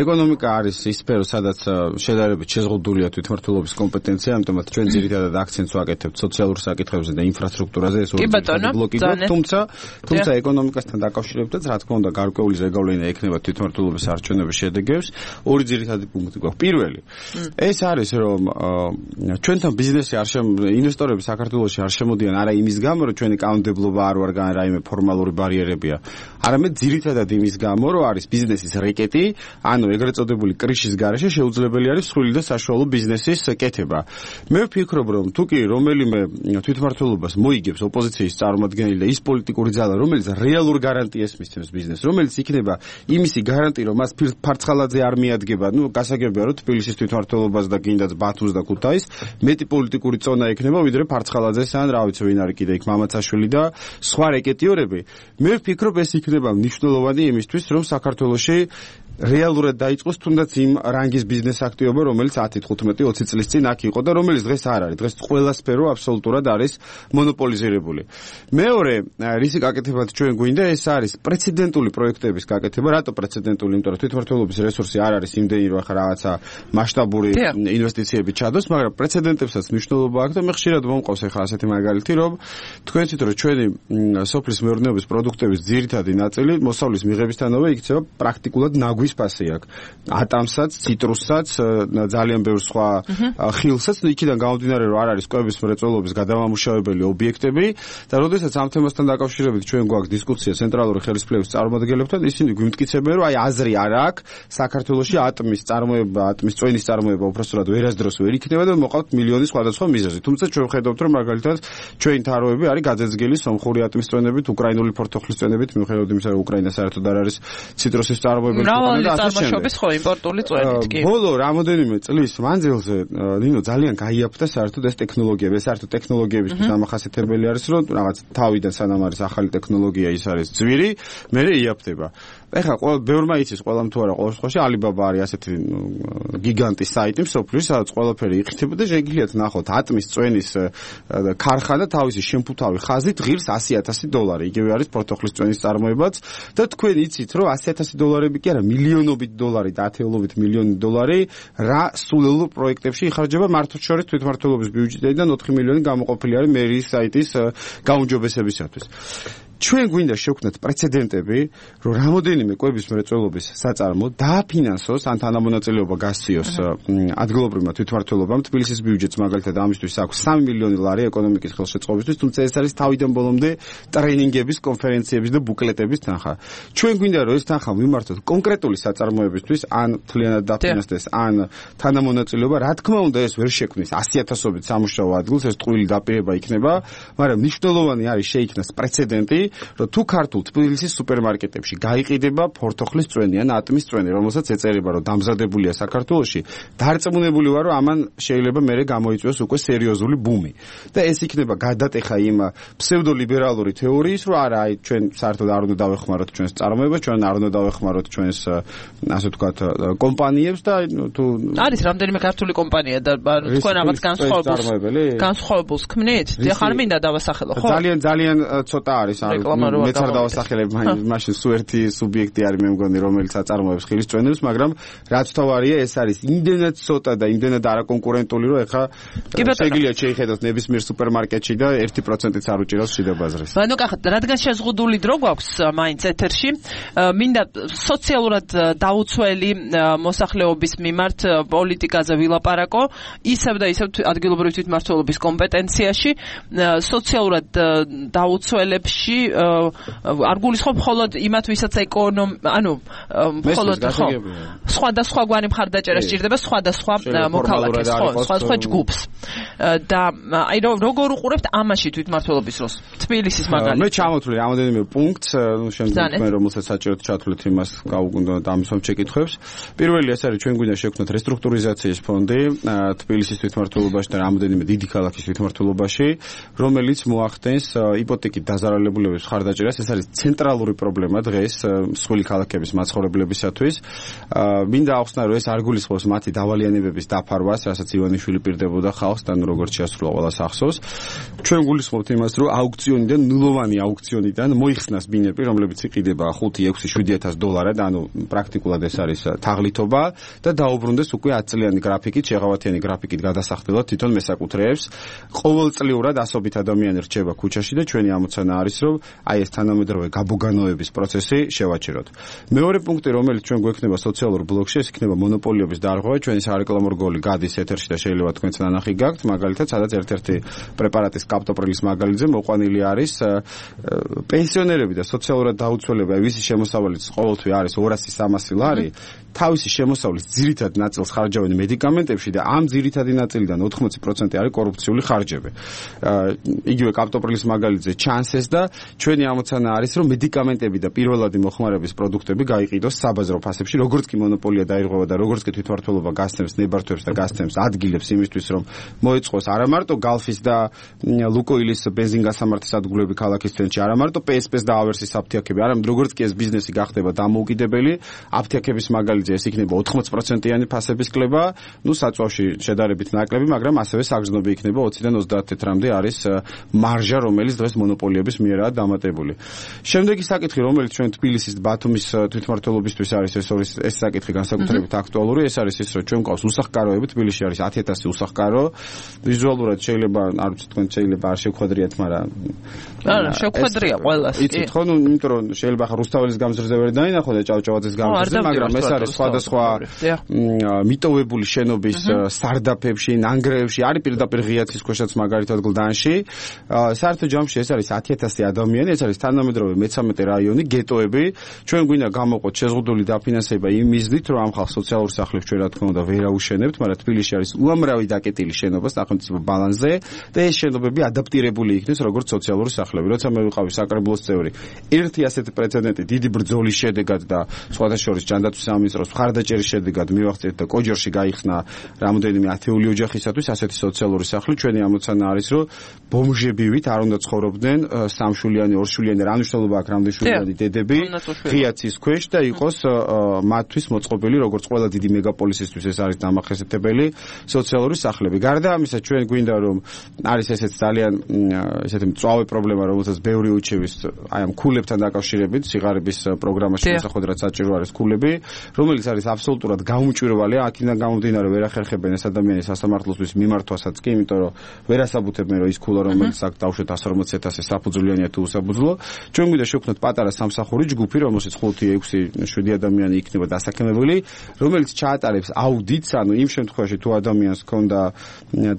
ეკონომიკა არის ის სფერო სადაც შედარებით შეზღუდულია თვითმმართველობის კომპეტენცია ამიტომაც ჩვენ ძირითადად აქცენტს ვაკეთებთ სოციალურ საკითხებზე და ინფრასტრუქტურაზე ეს ორი ბლოკი თუმცა ეკონომიკასთან დაკავშირებითაც რა თქმა უნდა გარკვეული ზეგავლენა ექნება თვითმმართველობის არჩევნების შედეგებს ორი ძირითადი პუნქტი გვაქვს პირველი ეს არის რომ ჩვენთან ბიზნესი ინვესტორები საქართველოში არ შემოდიან არა იმის გამო რომ ჩვენი კანონმდებლობა არ ვარ რაიმე ფორმალური ბარიერებია არამედ ძირითადად იმის გამო რომ არის ბიზნესის რეკეტი ანუ ეგრეთ წოდებული კრიშის გარეშე შეუძლებელი არის მსხვილი და საშუალო ბიზნესის კეთება მე ვფიქრობ რომ თუკი რომელიმე თვითმმართველობას მოიგებს ოპოზიციის წარმომადგენელი და ის პოლიტიკური ძალა რომელიც რეალურ გარანტიას მისცემს ბიზნესს რომელიც იქნება იმისი გარანტი რომ მას ფარცხალაძე არ მიადგება გასაგებია რომ თბილისის თვითმმართველობას და გინდაც ბათუმს და ქუთაისს მეტი პოლიტიკური წონა ექნება ვიდრე ფარცხალაძეს ან რა ვიცი ვინ არის კიდე იქ მამაცაშვილი და სხვა რეკეტიორები მე ვფიქრობ ეს იქნება მნიშვნელოვანი იმისთვის რომ საქართველოში რეალურად დაიწყოს თუნდაც იმ რანგის ბიზნეს აქტივობა რომელიც 10-15-20 წლის წინ აქ იყო და რომელიც დღეს არ არის დღეს ყველა სფერო აბსოლუტურად არის მონოპოლიზირებული მეორე რისი გაკეთებად ჩვენ გვინდა ეს არის პრეცედენტული პროექტების გაკეთება რატო პრეცედენტული იმიტომ რომ თვითმმართველობის რესურსი არ არის იმდენი რომ ახლა რაღაცა მასშტაბური ინვესტიციები ჩადოს მაგრამ პრეცედენტებსაც მნიშვნელობა აქვს და მე ხშირად მომყავს ახლა ასეთი მაგალითი რომ თქვენით რომ ჩვენი სოფლის მეურნეობის პროდუქტების ძირითადი ნაწილი მოსავლის მიღებისთანავე იქცევა პრაქტიკულად ნაგვის ფასი აქვს ატამსაც, ციტრუსსაც, ძალიან ბევრ სხვა ხილსაც, იქიდან გამომდინარე რომ არ არის კვების მრეწველობის გადამამუშავებელი ობიექტები და როდესაც ამ თემასთან დაკავშირებით ჩვენ გვაქვს დისკუსია ცენტრალური ხელისუფლების წარმომადგენლებთან, ისინი გვიმტკიცებენ რომ აი აზრი არ აქვს საქართველოში ატმის წარმოება, ატმის წვენის წარმოება უბრალოდ ვერასდროს ვერ იქნება და მოყავთ მილიონი სხვადასხვა მიზეზი. თუმცა ჩვენ ვხედავთ რომ მაგალითად ჩვენი თაროები არის გაძეძგილი სომხური ატმის წვენებით, უკრაინული ფორთოხლის წვენებით, მიუხედავად იმისა რომ უკრაინა საერთოდ არ არის ციტრუსის წარმოებელი წარმოშობის ხო იმპორტული წვენით კი. ბოლო რამოდენიმე წლის მანძილზე ნინო ძალიან გაიაფთა საერთოდ ეს ტექნოლოგიები, ეს საერთოდ ტექნოლოგიებისთვის დამახასიათებელი არის რომ რაღაც თავიდან სანამ არის ახალი ტექნოლოგია ის არის ძვირი, მერე იაფთება. ეხლა ბევრმა იცის ყველამ თუ არა ყოველ შემთხვევაში Alibaba არის ასეთი გიგანტი საიტი მსოფლიოში სადაც ყველაფერი იხითება და შეგიძლიათ ნახოთ ატმის წვენის ქარხანა თავისი შემფუთავი ხაზით ღირს $100,000 იგივე არის ფორთოხლის წვენის წარმოებაც და თქვენ იცით რომ $100,000 კი არა მილიონობით დოლარი და ათეულობით მილიონი დოლარი რა სულელურ პროექტებში იხარჯება მართლშორის თვითმმართველობის ბიუჯეტიდან 4 მილიონი გამოყოფილი არის მერიის საიტის გაუმჯობესებისათვის ჩვენ გვინდა შევქმნათ პრეცედენტები, რომ რამოდენიმე კვების მრეწველობის საწარმო დააფინანსოს ან თანამონაწილეობა გასციოს ადგილობრივმა თვითმმართველობამ. თბილისის ბიუჯეტს მაგალითად ამისთვის აქვს $3 მილიონი ეკონომიკის ხელშეწყობისთვის, თუმცა ეს არის თავიდან ბოლომდე ტრენინგების, კონფერენციების და ბუკლეტების თანხა. ჩვენ გვინდა რომ ეს თანხა მიმართოთ კონკრეტული საწარმოებისთვის, ან მთლიანად დაფინანსდეს, ან თანამონაწილეობა. რა თქმა უნდა, ეს ვერ შექმნის 100,000-ობით სამუშაო ადგილს, ეს ტყუილი დაპირება იქნება, მაგრამ მნიშვნელოვანი არის შეიქმნას პრეცედენტი რომ თუ ქართულ თბილისის სუპერმარკეტებში გაიყიდება ფორთოხლის წვენი ან ატმის წვენი, რომელსაც ეწერება რომ დამზადებულია საქართველოში, დარწმუნებული ვარ რომ ამან შეიძლება მერე გამოიწვიოს უკვე სერიოზული ბუმი. და ეს იქნება გადატეხა იმ ფსევდოლიბერალური თეორიის, რომ არა, აი ჩვენ საერთოდ არ უნდა დავეხმაროთ ჩვენს წარმოებას, ჩვენ არ უნდა დავეხმაროთ ჩვენს ასე ვთქვათ კომპანიებს და თუ არის რამდენიმე ქართული კომპანია და თქვენ რაღაც განსხვავებულს ქმნით? ახლა არ მინდა დავასახელო, ხო? ძალიან ცოტა არის მეც არ დავასახელებ მაშინ სულ ერთი სუბიექტი არის მე მგონი რომელიც აწარმოებს ხილის წვენებს მაგრამ რაც თავარია ეს არის იმდენად ცოტა და იმდენად არაკონკურენტული რომ ეხა შეგიძლიათ შეიხედოთ ნებისმიერ სუპერმარკეტში და 1%-იც არ უჭირავს შიდა ბაზრის. ანუ რადგან შეზღუდული დრო გვაქვს მაინც ეთერში მინდა სოციალურად დაუცველი მოსახლეობის მიმართ პოლიტიკაზე ვილაპარაკო ისევ და ისევ ადგილობრივი თვითმმართველობის კომპეტენციაში სოციალურად დაუცველებში არ გულისხმობ მხოლოდ იმათ ვისაც მხოლოდ სხვადასხვაგვარი მხარდაჭერა სჭირდება სხვადასხვა მოქალაქეს, სხვადასხვა ჯგუფს. და როგორ უყურებთ ამაში თვითმმართველობის როლს? თბილისის მაგალითად. მე ჩამოთვლი რამოდენიმე პუნქტს, შემდეგ მე რომელსაც საჭიროდ ჩათვლით იმას გავუგუნდა და ამის შეკითხვებს. პირველი ეს არის ჩვენ გვინდა შევქმნათ რესტრუქტურიზაციის ფონდი თბილისის თვითმმართველობაში და რამოდენიმე დიდი ქალაქის თვითმმართველობაში, რომელიც მოახდენს იპოთეკით დაზარალებულების მხარდაჭერას. ეს არის ცენტრალური პრობლემა დღეს მსხვილი ქალაქების მაცხოვრებლებისათვის. მინდა ახსნა, რომ ეს არ გულისხმობს მათი დავალიანებების დაფარვას, რასაც ივანიშვილი პირდებოდა ხალხს და როგორც შეასრულა ყველა სახსოვს. ჩვენ გულისხმობთ იმას, რომ აუქციონიდან, ნულოვანი აუქციონიდან მოიხსნას ბინები, რომლებიც იყიდება 5-6-7,000 დოლარად, ანუ პრაქტიკულად ეს არის თაღლითობა და დაუბრუნდეს უკვე 10 წლიანი გრაფიკით, შეღავათიანი გრაფიკით გადასახდელად თვითონ მესაკუთრეებს. ყოველწლიურად ასობით ადამიანი რჩება ქუჩაში და ჩვენი ამოცანა არის, რომ აი ეს თანამედროვე გაბოგანოების პროცესი შევაჩეროთ. მეორე პუნქტი, რომელიც ჩვენ გვექნება სოციალურ ბლოკში, ეს იქნება მონოპოლიების დარღვევა. ჩვენი სარეკლამო რგოლი გადის ეთერში და შეიძლება თქვენც ნანახი გაქვთ, მაგალითად, სადაც ერთ-ერთი პრეპარატის კაპტოპრილის მაგალითზე მოყვანილი არის პენსიონერები და სოციალურად დაუცველები, ვისი შემოსავალიც ყოველთვე არის 200-300 ლარი, თავისი შემოსავლის ძირითად ნაწილს ხარჯავენ მედიკამენტებში და ამ ძირითადი ნაწილიდან 80% არის კორუფციული ხარჯები. იგივე კაპტოპრილის მაგალითზე ჩანს ეს და ჩვენი ამოცანა არის, რომ მედიკამენტები და პირველადი მოხმარების პროდუქტები გაიყიდოს საბაზრო ფასებში, როგორც კი მონოპოლია დაირღვევა და როგორც კი თვითმმართველობა გასცემს ნებართვებს და გასცემს ადგილებს იმისთვის, რომ მოეწყოს არა მარტო გალფის და ლუკოილის ბენზინგასამართი სადგურები ქალაქის ცენტრში, არა მარტო PSP-ს და ავერსის აფთიაქები, არამედ როგორც კი ეს ბიზნესი გახდება დამოუკიდებელი, აფთიაქების მაგალითზე ეს იქნება 80%-იანი ფასების კლება, საწვავში შედარებით ნაკლები, მაგრამ ასევე საგრძნობი იქნება 20-დან 30 თეთრამდე არის მარჟა, რომელიც დღეს მონოპოლიების მიერაა დამატებული. შემდეგი საკითხი, რომელიც ჩვენ თბილისის ბათუმის თვითმმართველობისთვის არის, ეს საკითხი განსაკუთრებით აქტუალური, ეს არის ის, რომ ჩვენ გვყავს უსახკაროები, თბილისში არის 10,000 უსახკარო. ვიზუალურად შეიძლება, არ ვიცი თქვენ შეიძლება არ შევხვედრიათ, მაგრამ არა, შევხვედრია ყველას. იცით ხო, იმიტომ რომ შეიძლება ხა რუსთაველის გამზრდზე ვერ დაინახო და ჭავჭავაძის გამზრდზე, მაგრამ ეს არის სხვადასხვა მიტოვებული შენობის სარდაფებში, ნანგრევებში, არის პირდაპირ ღიაცის ქვეშაც მაგალითად გლდანში. საერთო ჯამში ეს არის 10,000 ადამიანი, ეს არის თანამედროვე მე-13 რაიონი, გეტოები. ჩვენ გვინდა გამოყოთ შეზღუდული დაფინანსება იმ მიზნით, რომ ამ ხალხს სოციალურ სახლებს ჩვენ რა თქმა უნდა ვერ აუშენებთ, მაგრამ თბილისში არის უამრავი დაკეტილი შენობა სახელმწიფო ბალანსზე და ეს შენობები ადაპტირებული იქნეს როგორც სოციალური სახლები. როცა მე ვიყავი საკრებულოს წევრი, ერთი ასეთი პრეცედენტი დიდი ბრძოლის შედეგად და სხვათა შორის ჯანდაცვის სამინისტროს მხარდაჭერის შედეგად მივახცეთ და კოჯორში გაიხსნა რამოდენიმე ათეული ოჯახისათვის ასეთი სოციალური სახლი. ჩვენი ამოცანა არის, რომ ბომჟებივით არ უნდა ცხოვრობდნენ სამშულიანი, ორშულიანი, რა მნიშვნელობა აქვს რამდენშულიანი დედები ღიაცის ქვეშ და იყოს მათთვის მოწყობილი, როგორც ყველა დიდი მეგაპოლისისთვის ეს არის დამახასიათებელი სოციალური სახლები. გარდა ამისა, ჩვენ გვინდა რომ არის ესეც ძალიან ესეთი მწვავე პრობლემა, რომელსაც ბევრი უჩევის აი ამ ქულებთან დაკავშირებით, სიღარიბის პროგრამაში შესახვედრად საჭირო არის ქულები, რომელიც არის აბსოლუტურად გაუმჭვირვალე, აქედან გამომდინარე ვერ ახერხებენ ეს ადამიანის სასამართლოსთვის მიმართვასაც კი, იმიტომ რომ ვერ ასაბუთებენ, რომ ის ქულა, რომელიც აქ დავშვეთ 140,000 საფუძვლიანია თუ უსაფუძვლო. ჩვენ გვინდა შევქმნათ პატარა სამსახური ჯგუფი, რომელშიც 5-6-7 ადამიანი იქნება დასაქმებული, რომელიც ჩაატარებს აუდიტს, ანუ იმ შემთხვევაში თუ ადამიანს ჰქონდა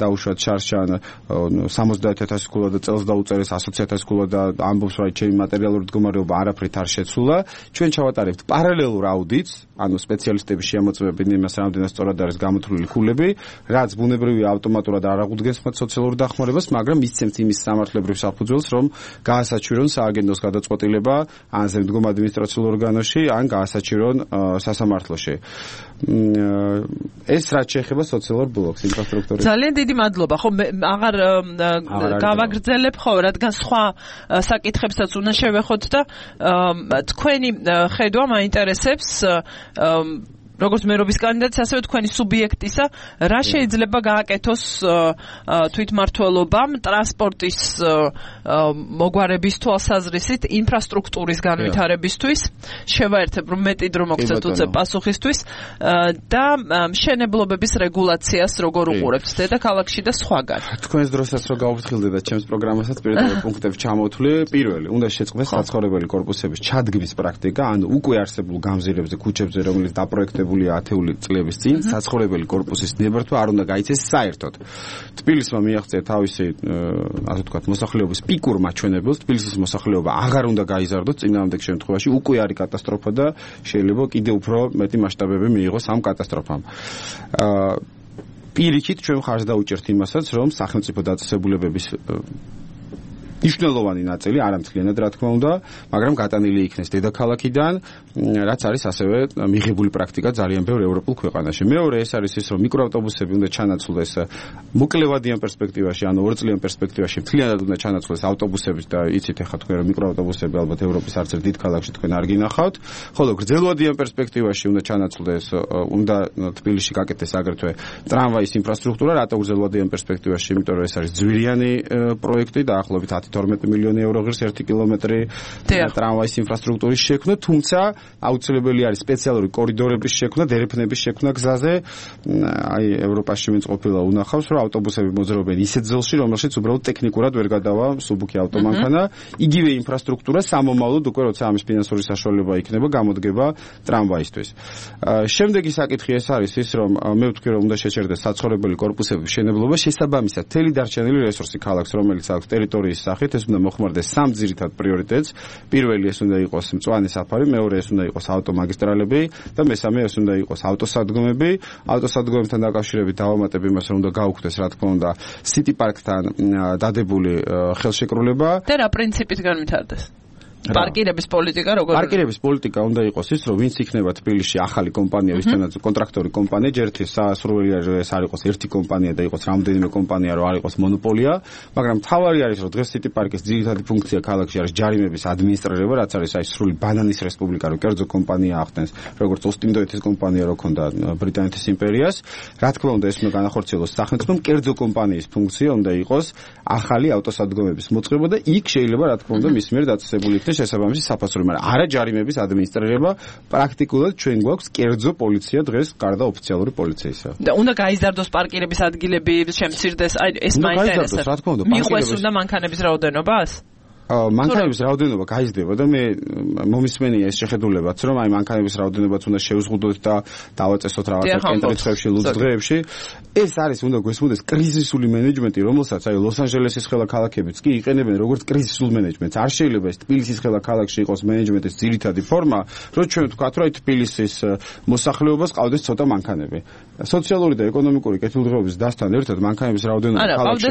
დაუშვათ შარშან 70,000 ქულა და წელს დაუწერეს 120,000 ქულა და ამბობს, რომ ჩემი მატერიალური მდგომარეობა არაფრით არ შეცვლა, ჩვენ ჩავატარებთ პარალელურ აუდიტს, ანუ სპეციალისტები შეამოწმებენ იმას, რამდენად სწორად არის გამოთვლილი ქულები, რაც ბუნებრივია ავტომატურად არ აღუდგენს მათ სოციალურ დახმარებას, მაგრამ მისცემთ იმის სამართლებრივ საფუძველს, რომ გაასაჩვირონ სააგენტოს გადაწყვეტილება ან ზემდგომ ადმინისტრაციულ ორგანოში, ან გაასაჩვირონ სასამართლოში. ეს რაც შეეხება სოციალურ ბლოკს, ინფრასტრუქტურას. ძალიან დიდი მადლობა. ხო, აღარ გავაგრძელებ, ხო, რადგან სხვა საკითხებსაც უნდა შევეხოთ და თქვენი ხედვა მაინტერესებს როგორც მერობის კანდიდატის, ასევე თქვენი სუბიექტისა, რა შეიძლება გააკეთოს თვითმმართველობამ ტრანსპორტის მოგვარების თვალსაზრისით, ინფრასტრუქტურის განვითარებისთვის, შევაერთებ, რომ მეტი დრო მოგცეთ უცებ პასუხისთვის და მშენებლობების რეგულაციას როგორ უყურებთ დედაქალაქში და სხვაგან. თქვენს დროსაც რო გავუფრთხილდეთ და ჩემს პროგრამასაც პირდაპირ პუნქტებს ჩამოვთვლი, პირველი, უნდა შეწყდეს საცხოვრებელი კორპუსების ჩადგმის პრაქტიკა, ანუ უკვე არსებულ გამზირებზე, ქუჩებზე, რომელიც დაპროექტებული განხორციელებულია ათეული წლების წინ, საცხოვრებელი კორპუსის ნებართვა არ უნდა გაიცეს საერთოდ. თბილისმა მიაღწია თავისი, ასე ვთქვათ, მოსახლეობის პიკურ მაჩვენებელს, თბილისის მოსახლეობა აღარ უნდა გაიზარდოს წინააღმდეგ შემთხვევაში, უკვე არის კატასტროფა და შეიძლება კიდევ უფრო მეტი მასშტაბები მიიღოს ამ კატასტროფამ. პირიქით ჩვენ ხარს დაუჭერთ იმასაც, რომ სახელმწიფო დაწესებულებების მნიშვნელოვანი ნაწილი არამთლიანად რა თქმა უნდა, მაგრამ გატანილი იქნეს დედაქალაქიდან, რაც არის ასევე მიღებული პრაქტიკა ძალიან ბევრ ევროპულ ქვეყანაში. მეორე ეს არის ის, რომ მიკროავტობუსები უნდა ჩანაცვლდეს მოკლევადიან პერსპექტივაში, ანუ ორწლიან პერსპექტივაში მთლიანად უნდა ჩანაცვლდეს ავტობუსების და იცით ახლა თქვენ რომ მიკროავტობუსები ალბათ ევროპის არც ერთ დიდ ქალაქში თქვენ არ გინახავთ, ხოლო გრძელვადიან პერსპექტივაში უნდა ჩანაცვლდეს, უნდა თბილისში გაკეთდეს აგრეთვე ტრამვაის ინფრასტრუქტურა, რატო გრძელვადიან პერსპექტივაში, იმიტომ რომ ეს არის ძვირიანი პროექტი და ახლობით 12 მილიონი ევრო ღირს 1 კილომეტრი ტრამვაის ინფრასტრუქტურის შექმნა, თუმცა აუცილებელი არის სპეციალური კორიდორების შექმნა, დერეფნების შექმნა გზაზე. აი ევროპაში ვინც ყოფილა უნახავს, რომ ავტობუსები მოძრაობენ ისეთ ძელში, რომელშიც უბრალოდ ტექნიკურად ვერ გადავა მსუბუქი ავტომანქანა. იგივე ინფრასტრუქტურა სამომავლოდ უკვე როცა ამის ფინანსური საშუალება იქნება, გამოდგება ტრამვაისთვის. შემდეგი საკითხი ეს არის ის, რომ მე ვთქვი, რომ უნდა შეჩერდეს საცხოვრებელი კორპუსების მშენებლობა, შესაბამისად მთელი დარჩენილი რესურსი ქალაქს, რომელიც აქვს ტერიტორიის სახით, ეს უნდა მოხმარდეს სამ ძირითად პრიორიტეტს. პირველი ეს უნდა იყოს მწვანე საფარი, მეორე ეს უნდა იყოს ავტომაგისტრალები და მესამე ეს უნდა იყოს ავტოსადგომები. ავტოსადგომებთან დაკავშირებით დავამატებ იმას, რომ უნდა გაუქმდეს, რა თქმა უნდა, სიტი პარკთან დადებული ხელშეკრულება. და რა პრინციპით განვითარდეს? პარკირების პოლიტიკა როგორ? პარკირების პოლიტიკა უნდა იყოს ის, რომ ვინც იქნება თბილისში ახალი კომპანია, ვისთანაც კონტრაქტორი კომპანია, ჯერ სასურველია რომ ეს არ იყოს ერთი კომპანია და იყოს რამდენიმე კომპანია, რომ არ იყოს მონოპოლია, მაგრამ თავარი არის, რომ დღეს სიტი პარკის ძირითადი ფუნქცია ქალაქში არის ჯარიმების ადმინისტრირება, რაც არის აი სრული ბანანის რესპუბლიკა, რო კერძო კომპანია ახდენს, როგორც ოსტინდოეთის კომპანია რო ქონდა ბრიტანეთის იმპერიას. რა თქმა უნდა, ეს უნდა განახორციელოს სახელმწიფომ, კერძო კომპანიის ფუნქცია უნდა იყოს ახალი ავტოსადგომების მოწყობა და იქ შეიძლება რა თქმა უნდა მის მიერ დაწესებული იქნეს შესაბამისი საფასური, მაგრამ არა ჯარიმების ადმინისტრირება. პრაქტიკულად ჩვენ გვაქვს კერძო პოლიცია დღეს გარდა ოფიციალური პოლიციისა. და უნდა გაიზარდოს პარკირების ადგილები, შემცირდეს, აი ეს მაინტერესებს. რა თქმა უნდა, მიყვეს უნდა მანქანების რაოდენობას? მანქანების რაოდენობა გაიზრდება და მე მომისმენია ეს შეხედულებაც, რომ აი მანქანების რაოდენობაც უნდა შევზღუდოთ და დავაწესოთ რაღაცა კენტრით დღეებში, ლუდს დღეებში. ეს არის უნდა გვესმოდეს კრიზისული მენეჯმენტი, რომელსაც აი ლოს-ანჯელესის ხელაქალაქებიც კი იყენებენ როგორც კრიზისულ მენეჯმენტს. არ შეიძლება ეს თბილისის ხელაქალაქში იყოს მენეჯმენტის ძირითადი ფორმა, რომ ჩვენ ვთქვათ, რომ აი თბილისის მოსახლეობას ყავდეს ცოტა მანქანები. სოციალური და ეკონომიკური კეთილდღეობის დასთან ერთად მანქანების რაოდენობა ქალაქში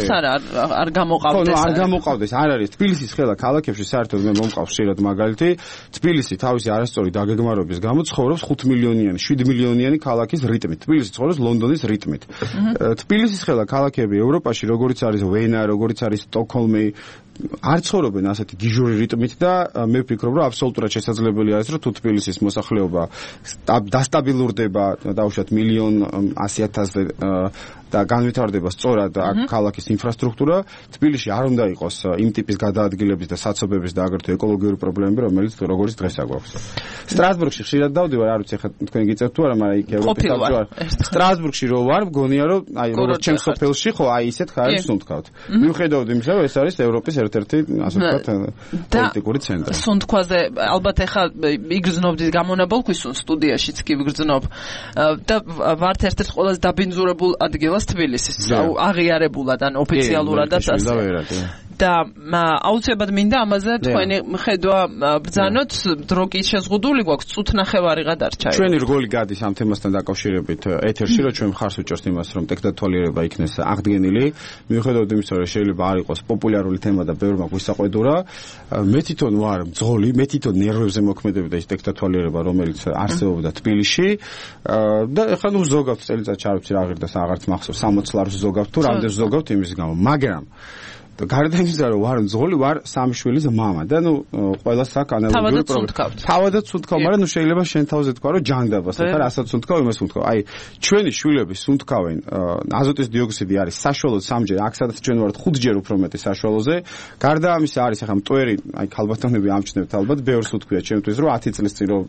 არ გამოყავდეს. არ გამოყავდეს, არ არის თბილისის ქალაქებში საერთოდ მე მომყავს ხშირად მაგალითი, თბილისი თავისი არასწორი დაგეგმარების გამო ცხოვრობს 5 მილიონიანი, 7 მილიონიანი ქალაქის რიტმით. თბილისი ცხოვრობს ლონდონის რიტმით. თბილისის ქალაქები ევროპაში, როგორიც არის ვენა, როგორიც არის სტოკჰოლმი, არ ცხოვრობენ ასეთი გიჟური რიტმით და მე ვფიქრობ, რომ აბსოლუტურად შესაძლებელი არის, რომ თუ თბილისის მოსახლეობა დასტაბილურდება, დაუშვათ 1,100,000-ზე და განვითარდება სწორად ქალაქის ინფრასტრუქტურა, თბილისში არ უნდა იყოს იმ ტიპის გადაადგილების და საცობების და აგრეთვე ეკოლოგიური პრობლემები, როგორც დღეს აგვაქვს. სტრასბურგში ხშირად დავდივარ, არ ვიცი, ხა თქვენ გიწევთ თუ არა, მაგრამ იქ ევროპის საბჭო არ. სტრასბურგში რო ვარ, მგონია რომ აი როგორც ჩემს სოფელში ხო აი ისეთ ხარებს სუნთქავთ. მიუხედავად იმისა, რომ ეს არის ევროპის ერთ-ერთი ასე ვთქვათ პოლიტიკური ცენტრი. სუნთქვაზე ალბათ ეხა იგრძნობდით გამონაბოლქვის სტუდიაშიც კი ვიგრძნობ და ვართ ერთ-ერთ ყველაზე დაბინძურებულ ადგილას თბილისის, აღიარებულად ან ოფიციალურადაც ასე. და აუცილებლად მინდა ამაზე თქვენი ხედვა ბრძანოთ, დრო კი შეზღუდული გვაქვს, წუთ ნახევარი გადარჩა. ჩვენი რგოლი გადის ამ თემასთან დაკავშირებით ეთერში, რომ ჩვენ მხარს უჭერთ იმას, რომ ტექნოლოგიება იქნეს აღდგენილი, მიუხედავად იმისა, რომ შეიძლება არ იყოს პოპულარული თემა და ბევრმა გვისაყვედურა. მე თვითონ ვარ მძღოლი, მე თვითონ ნერვებზე მოქმედებდა ის ტექნოლოგიება, რომელიც არსებობდა თბილისში და ეხლა ნუ ზოგავთ წელიწადში არ ვიცი რა ღირდა აღარც მახსოვს 60 ლარს ზოგავთ თუ რამდენს ზოგავთ იმის გამო, მაგრამ გარდა იმისა, რომ ვარ მძღოლი, ვარ სამი შვილის მამა და ნუ ყველას აქვს ანალოგიური პრობლემა. თავადაც სუნთქავ, მაგრამ ნუ შეიძლება შენ თავზე თქვა, რომ ჯანდაბას, ახლა რასაც სუნთქავ, იმას სუნთქავ. აი, ჩვენი შვილები სუნთქავენ, აზოტის დიოქსიდი არის საშუალოდ 3-ჯერ, აქ სადაც ჩვენ ვართ 5-ჯერ უფრო მეტი საშუალოზე. გარდა ამისა არის ახლა მტვერი, აი ქალბატონები ამჩნევთ ალბათ, ბევრს უთქვია ჩემთვის, რომ 10 წლის წინ რომ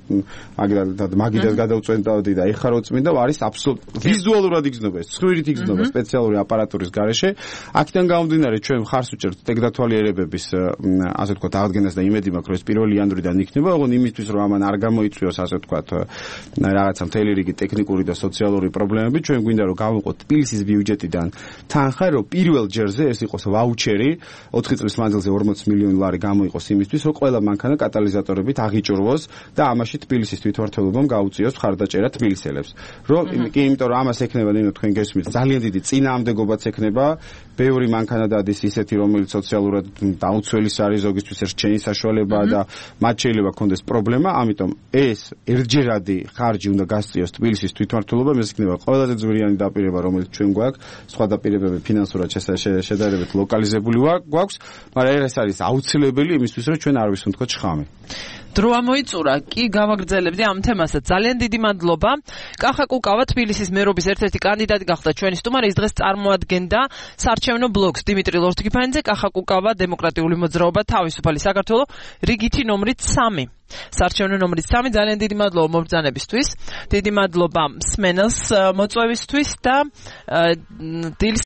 მაგიდას გადავწვენდავდი და ეხლა რო წმინდა, არის აბსოლუტურად ვიზუალურად იგრძნობა ეს, ცხვირით იგრძნობა სპეციალური აპარატურის გარეშე. აქედან გამომდინარე ჩვენ გარს უჭერთ ტექნათვალიერებების ასე ვთქვათ აღდგენას და იმედი მაქვს რომ ეს 1 იანვრიდან იქნება, ოღონდ იმისთვის რომ ამან არ გამოიწვიოს ასე ვთქვათ რაღაცა მთელი რიგი ტექნიკური და სოციალური პრობლემები, ჩვენ გვინდა რომ გავუყოთ თბილისის ბიუჯეტიდან თანხა, რომ პირველ ჯერზე ეს იყოს ვაუჩერი 4 წლის მანძილზე 40 მილიონი ლარი გამოიყოს იმისთვის, რომ ყველა მანქანა კატალიზატორებით აღიჭურვოს და ამაში თბილისის თვითმმართველობამ გაუწიოს მხარდაჭერა თბილისელებს. იმიტომ რომ ამას ექნება ნინო თქვენ გესმით ძალიან დიდი წინააღმდეგობაც ექნება, ბევრი მანქანა დადის ისეთი, რომელიც სოციალურად დაუცველის არის, ზოგისთვის რჩენის საშუალებაა და მათ შეიძლება ქონდეს პრობლემა, ამიტომ ეს ერთჯერადი ხარჯი უნდა გასწიოს თბილისის თვითმმართველობამ, ეს იქნება ყველაზე ძვირიანი დაპირება, რომელიც ჩვენ გვაქვს, სხვა დაპირებები ფინანსურად შედარებით ლოკალიზებული გვაქვს, მაგრამ ეს არის აუცილებელი იმისთვის, რომ ჩვენ არ ვისუნთქოთ შხამი. დრო ამოიწურა, კი გავაგრძელებდი ამ თემასაც. ძალიან დიდი მადლობა. კახა კუკავა თბილისის მერობის ერთ-ერთი კანდიდატი გახდა ჩვენი სტუმარი, ის დღეს წარმოადგენდა საარჩევნო ბლოკს დიმიტრი ლორთქიფანიძე. კახა კუკავა დემოკრატიული მოძრაობა თავისუფალი საქართველო, რიგითი ნომრით 3. საარჩევნო ნომრით 3. ძალიან დიდი მადლობა მობრძანებისთვის. დიდი მადლობა მსმენელს მოწვევისთვის და დილის